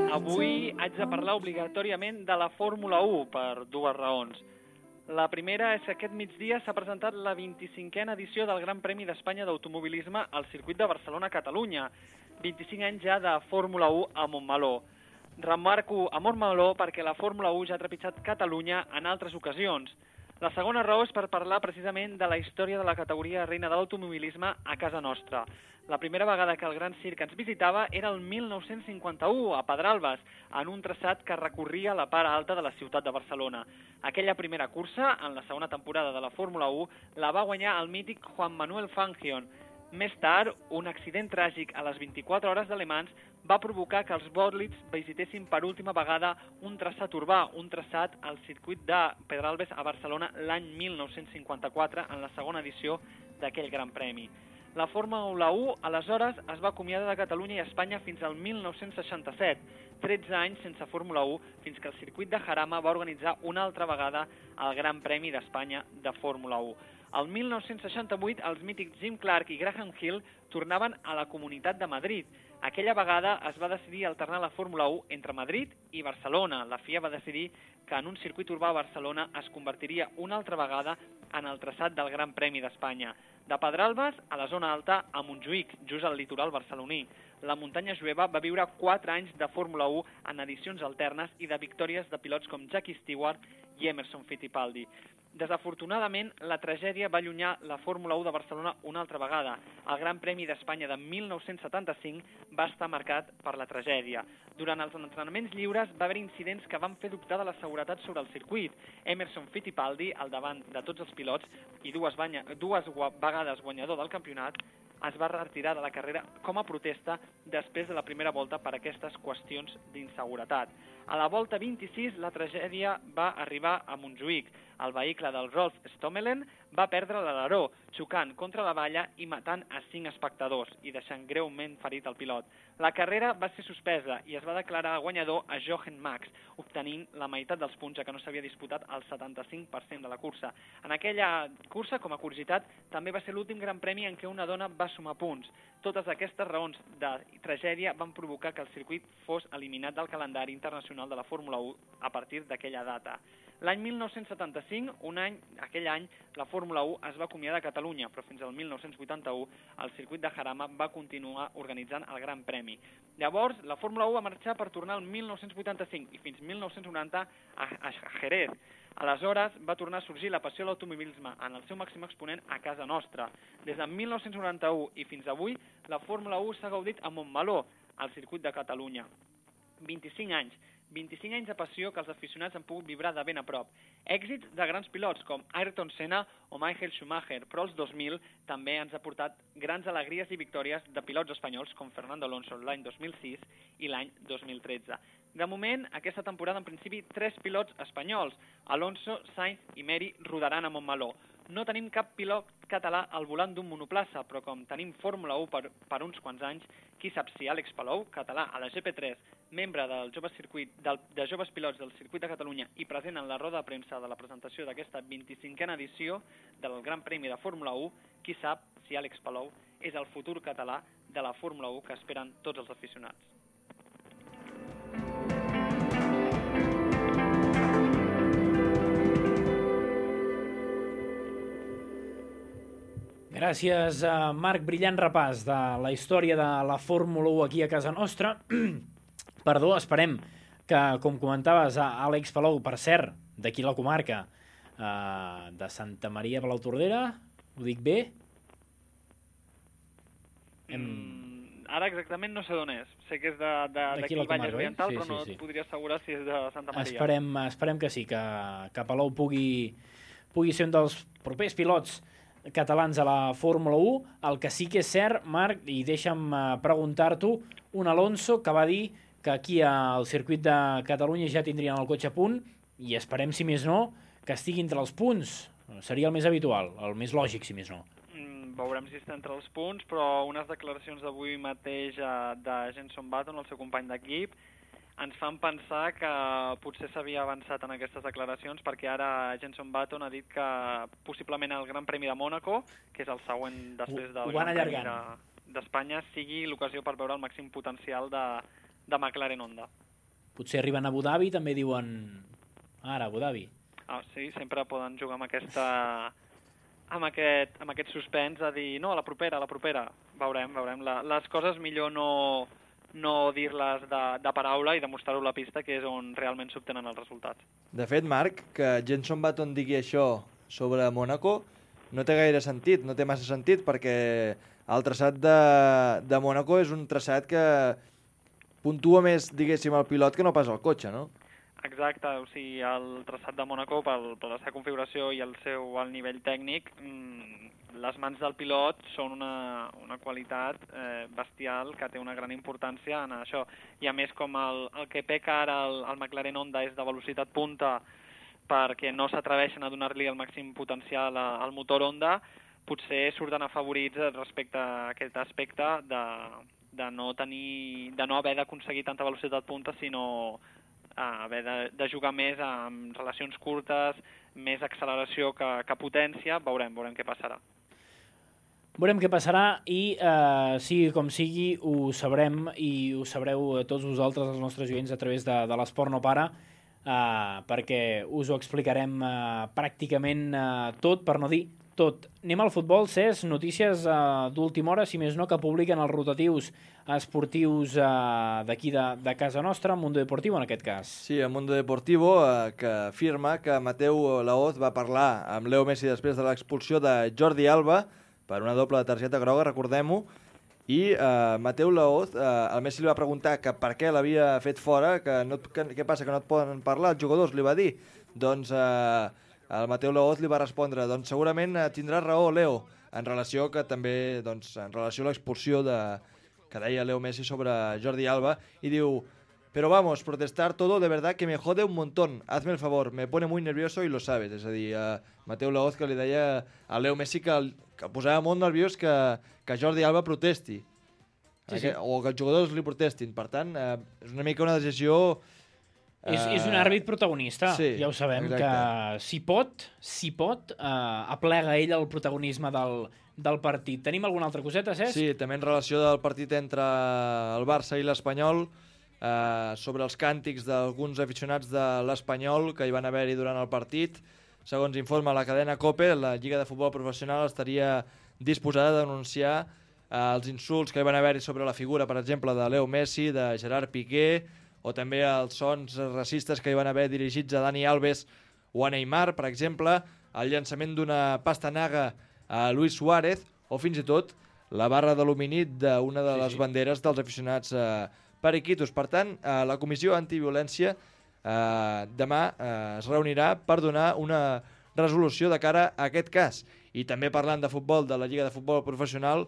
Avui haig de parlar obligatòriament de la Fórmula u per dues raons. La primera és que aquest migdia s'ha presentat la vint-i-cinquena edició del Gran Premi d'Espanya d'Automobilisme al circuit de Barcelona-Catalunya. vint-i-cinc anys ja de Fórmula u a Montmeló. Remarco a Montmeló perquè la Fórmula u ja ha trepitjat Catalunya en altres ocasions. La segona raó és per parlar precisament de la història de la categoria reina de l'automobilisme a casa nostra. La primera vegada que el Gran Circ ens visitava era el mil nou-cents cinquanta-u, a Pedralbes, en un traçat que recorria la part alta de la ciutat de Barcelona. Aquella primera cursa, en la segona temporada de la Fórmula u, la va guanyar el mític Juan Manuel Fangio. Més tard, un accident tràgic a les vint-i-quatre hores de Le Mans va provocar que els bòlids visitessin per última vegada un traçat urbà, un traçat al circuit de Pedralbes a Barcelona l'any mil nou-cents cinquanta-quatre en la segona edició d'aquell Gran Premi. La Fórmula u, aleshores, es va acomiadar de Catalunya i Espanya fins al mil nou-cents seixanta-set, tretze anys sense Fórmula u, fins que el circuit de Jarama va organitzar una altra vegada el Gran Premi d'Espanya de Fórmula u. El mil nou-cents seixanta-vuit, els mítics Jim Clark i Graham Hill tornaven a la Comunitat de Madrid. Aquella vegada es va decidir alternar la Fórmula u entre Madrid i Barcelona. La F I A va decidir que en un circuit urbà a Barcelona es convertiria una altra vegada en el traçat del Gran Premi d'Espanya. De Pedralbes a la zona alta a Montjuïc, just al litoral barceloní. La muntanya jueva va viure quatre anys de Fórmula u en edicions alternes i de victòries de pilots com Jackie Stewart i Emerson Fittipaldi. Desafortunadament, la tragèdia va allunyar la Fórmula u de Barcelona una altra vegada. El Gran Premi d'Espanya de mil nou-cents setanta-cinc va estar marcat per la tragèdia. Durant els entrenaments lliures va haver incidents que van fer dubtar de la seguretat sobre el circuit. Emerson Fittipaldi, al davant de tots els pilots i dues, banya, dues vegades guanyador del campionat, es va retirar de la carrera com a protesta després de la primera volta per aquestes qüestions d'inseguretat. A la volta vint-i-sis, la tragèdia va arribar a Montjuïc. El vehicle del Rolf Stommelen va perdre l'aleró, xocant contra la valla i matant a cinc espectadors i deixant greument ferit el pilot. La carrera va ser suspesa i es va declarar guanyador a Jochen Max, obtenint la meitat dels punts, ja que no s'havia disputat el setanta-cinc per cent de la cursa. En aquella cursa, com a curiositat, també va ser l'últim Gran Premi en què una dona va sumar punts. Totes aquestes raons de tragèdia van provocar que el circuit fos eliminat del calendari internacional de la Fórmula u a partir d'aquella data. L'any mil nou-cents setanta-cinc, un any, aquell any, la Fórmula u es va acomiadar a Catalunya, però fins al mil nou-cents vuitanta-u el circuit de Jarama va continuar organitzant el Gran Premi. Llavors, la Fórmula u va marxar per tornar al mil nou-cents vuitanta-cinc i fins mil nou-cents noranta a, a Jerez. Aleshores, va tornar a sorgir la passió a l'automobilisme en el seu màxim exponent a casa nostra. Des de mil nou-cents noranta-u i fins avui, la Fórmula u s'ha gaudit a Montmeló, al circuit de Catalunya. vint-i-cinc anys. vint-i-cinc anys de passió que els aficionats han pogut vibrar de ben a prop. Èxits de grans pilots com Ayrton Senna o Michael Schumacher, però els dos mil també ens ha portat grans alegries i victòries de pilots espanyols com Fernando Alonso l'any dos mil sis i l'any dos mil tretze. De moment, aquesta temporada, en principi, tres pilots espanyols, Alonso, Sainz i Meri, rodaran a Montmeló. No tenim cap pilot català al volant d'un monoplaça, però com tenim Fórmula u per, per uns quants anys, qui sap si Àlex Palou, català a la G P tres, membre del jove circuit, del, de joves pilots del circuit de Catalunya i present en la roda de premsa de la presentació d'aquesta vint-i-cinquena edició del Gran Premi de Fórmula u, qui sap si Àlex Palou és el futur català de la Fórmula u que esperen tots els aficionats. Gràcies, a Marc. Brillant repàs de la història de la Fórmula u aquí a casa nostra. Perdó, esperem que, com comentaves, Àlex Palou, per cert, d'aquí la comarca, eh, de Santa Maria de Palautordera, ho dic bé? Hem... Mm, ara exactament no sé d'on és. Sé que és d'aquí D'aquí la Vallès comarca, oi? Oriental, Sí, però sí, no sí. et podria assegurar si és de Santa Maria. Esperem, esperem que sí, que, que Palou pugui, pugui ser un dels propers pilots catalans a la Fórmula u. El que sí que és cert, Marc, i deixa'm eh, preguntar-t'ho, un Alonso que va dir que aquí al circuit de Catalunya ja tindrien el cotxe a punt i esperem, si més no, que estigui entre els punts. Seria el més habitual, el més lògic, si més no. Mm, veurem si està entre els punts, però unes declaracions d'avui mateix eh, de Jenson Button, el seu company d'equip, ens fan pensar que potser s'havia avançat en aquestes declaracions perquè ara Jenson Button ha dit que possiblement el Gran Premi de Mònaco, que és el següent després del Ho van Gran Premi allargant. de- d'Espanya, sigui l'ocasió per veure el màxim potencial de, de McLaren Honda. Potser arriben a Abu Dhabi, també diuen ara, Abu Dhabi. Ah, sí, sempre poden jugar amb aquesta amb aquest, amb aquest suspens a dir no, a la propera, a la propera. Veurem, veurem. La, les coses millor no, no dir-les de, de paraula i demostrar-ho a la pista, que és on realment s'obtenen els resultats. De fet, Marc, que Jenson Button digui això sobre Mònaco no té gaire sentit, no té massa sentit, perquè el traçat de, de Mònaco és un traçat que puntua més, diguéssim, el pilot que no pas el cotxe, no? Exacte, o sigui, el traçat de Mònaco, pel, per la seva configuració i el seu alt nivell tècnic, mmm, les mans del pilot són una, una qualitat eh, bestial que té una gran importància en això. I a més, com el, el que peca ara el, el McLaren Honda és de velocitat punta perquè no s'atreveixen a donar-li el màxim potencial a, al motor Honda, potser surten afavorits respecte a aquest aspecte de, de, no, tenir, de no haver d'aconseguir tanta velocitat punta, sinó a haver de, de jugar més amb relacions curtes, més acceleració que, que potència. Veurem, veurem què passarà. Veurem què passarà i, eh, sigui com sigui, ho sabrem i ho sabreu tots vosaltres, els nostres oients, a través de, de l'Esport No Para, eh, perquè us ho explicarem eh, pràcticament eh, tot, per no dir tot. Anem al futbol, Cesc, notícies eh, d'última hora, si més no, que publiquen els rotatius esportius eh, d'aquí de, de casa nostra, Mundo Deportivo en aquest cas. Sí, el Mundo Deportivo, eh, que afirma que Mateu Laoz va parlar amb Leo Messi després de l'expulsió de Jordi Alba per una doble targeta groga, recordem-ho, i eh, Mateu Laoz, eh, el Messi li va preguntar que per què l'havia fet fora, que, no, que què passa, que no et poden parlar, els jugadors, li va dir. Doncs eh, el Mateu Laoz li va respondre, doncs segurament eh, tindràs raó, Leo, en relació que també, doncs, en relació a l'expulsió de, que deia Leo Messi sobre Jordi Alba, i diu, pero vamos, protestar todo de verdad que me jode un montón, hazme el favor, me pone muy nervioso y lo sabes. És a dir, eh, Mateu Laoz que li deia a Leo Messi que, que posava molt nerviós que, que Jordi Alba protesti, Sí, sí. que, o que els jugadors li protestin. Per tant, eh, és una mica una decisió... Eh... És, és un àrbit protagonista, sí, ja ho sabem, exacte. que si pot, si pot, eh, aplega ell el protagonisme del, del partit. Tenim alguna altra coseta, Cesc? Sí, també en relació del partit entre el Barça i l'Espanyol, eh, sobre els càntics d'alguns aficionats de l'Espanyol que hi van haver-hi durant el partit. Segons informa la cadena COPE, la Lliga de Futbol Professional estaria disposada a denunciar eh, els insults que hi van haver-hi sobre la figura, per exemple, de Leo Messi, de Gerard Piqué, o també els sons racistes que hi van haver dirigits a Dani Alves o a Neymar, per exemple, el llançament d'una pastanaga a Luis Suárez, o fins i tot la barra d'alumini d'una de les sí, sí. banderes dels aficionats eh, periquitos. Per tant, eh, la Comissió Antiviolència eh, demà eh, es reunirà per donar una resolució de cara a aquest cas. I també parlant de futbol, de la Lliga de Futbol Professional,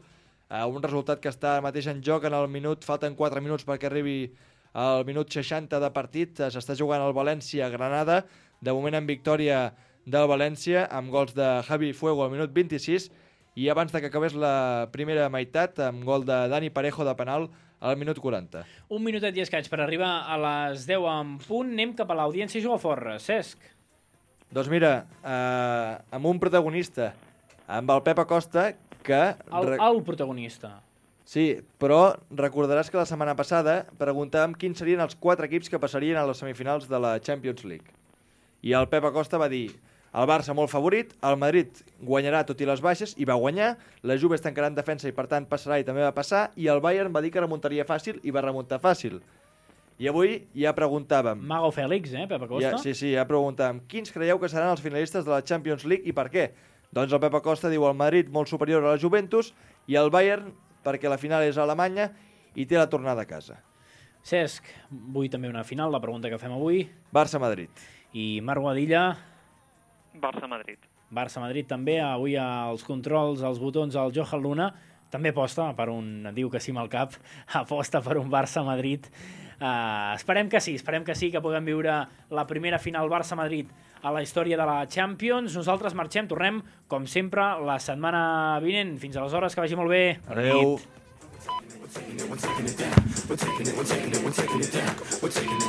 eh, un resultat que està mateix en joc en el minut, falten quatre minuts perquè arribi al minut seixanta de partit, eh, s'està jugant el València-Granada, de moment en victòria del València, amb gols de Javi Fuego al minut vint-i-sis, i abans de que acabés la primera meitat, amb gol de Dani Parejo de penal al minut quaranta. Un minutet i escaig per arribar a les deu en punt. Anem cap a l'audiència Jugaforra. Cesc. Doncs mira, eh, amb un protagonista, amb el Pep Acosta, que... El, el protagonista. Sí, però recordaràs que la setmana passada preguntàvem quins serien els quatre equips que passarien a les semifinals de la Champions League. I el Pep Acosta va dir el Barça molt favorit, el Madrid guanyarà tot i les baixes, i va guanyar, la Juve es tancarà en defensa i per tant passarà i també va passar, i el Bayern va dir que remuntaria fàcil i va remuntar fàcil. I avui ja preguntàvem... Mago Fèlix, eh, Pep Acosta? Ja, sí, sí, ja preguntàvem quins creieu que seran els finalistes de la Champions League i per què? Doncs el Pep Acosta diu el Madrid molt superior a la Juventus i el Bayern perquè la final és a Alemanya i té la tornada a casa. Cesc, vull també una final, la pregunta que fem avui. Barça-Madrid. I Marc Guadilla? Barça-Madrid. Barça-Madrid també, avui als controls, als botons, el Johan Luna, també aposta per un, diu que sí amb el cap, aposta per un Barça-Madrid. Uh, esperem que sí, esperem que sí, que puguem viure la primera final Barça-Madrid a la història de la Champions. Nosaltres marxem, tornem, com sempre, la setmana vinent. Fins aleshores, que vagi molt bé. Adéu. We're taking it, we're taking it down. We're taking it, we're taking it, we're taking it down. We're taking it.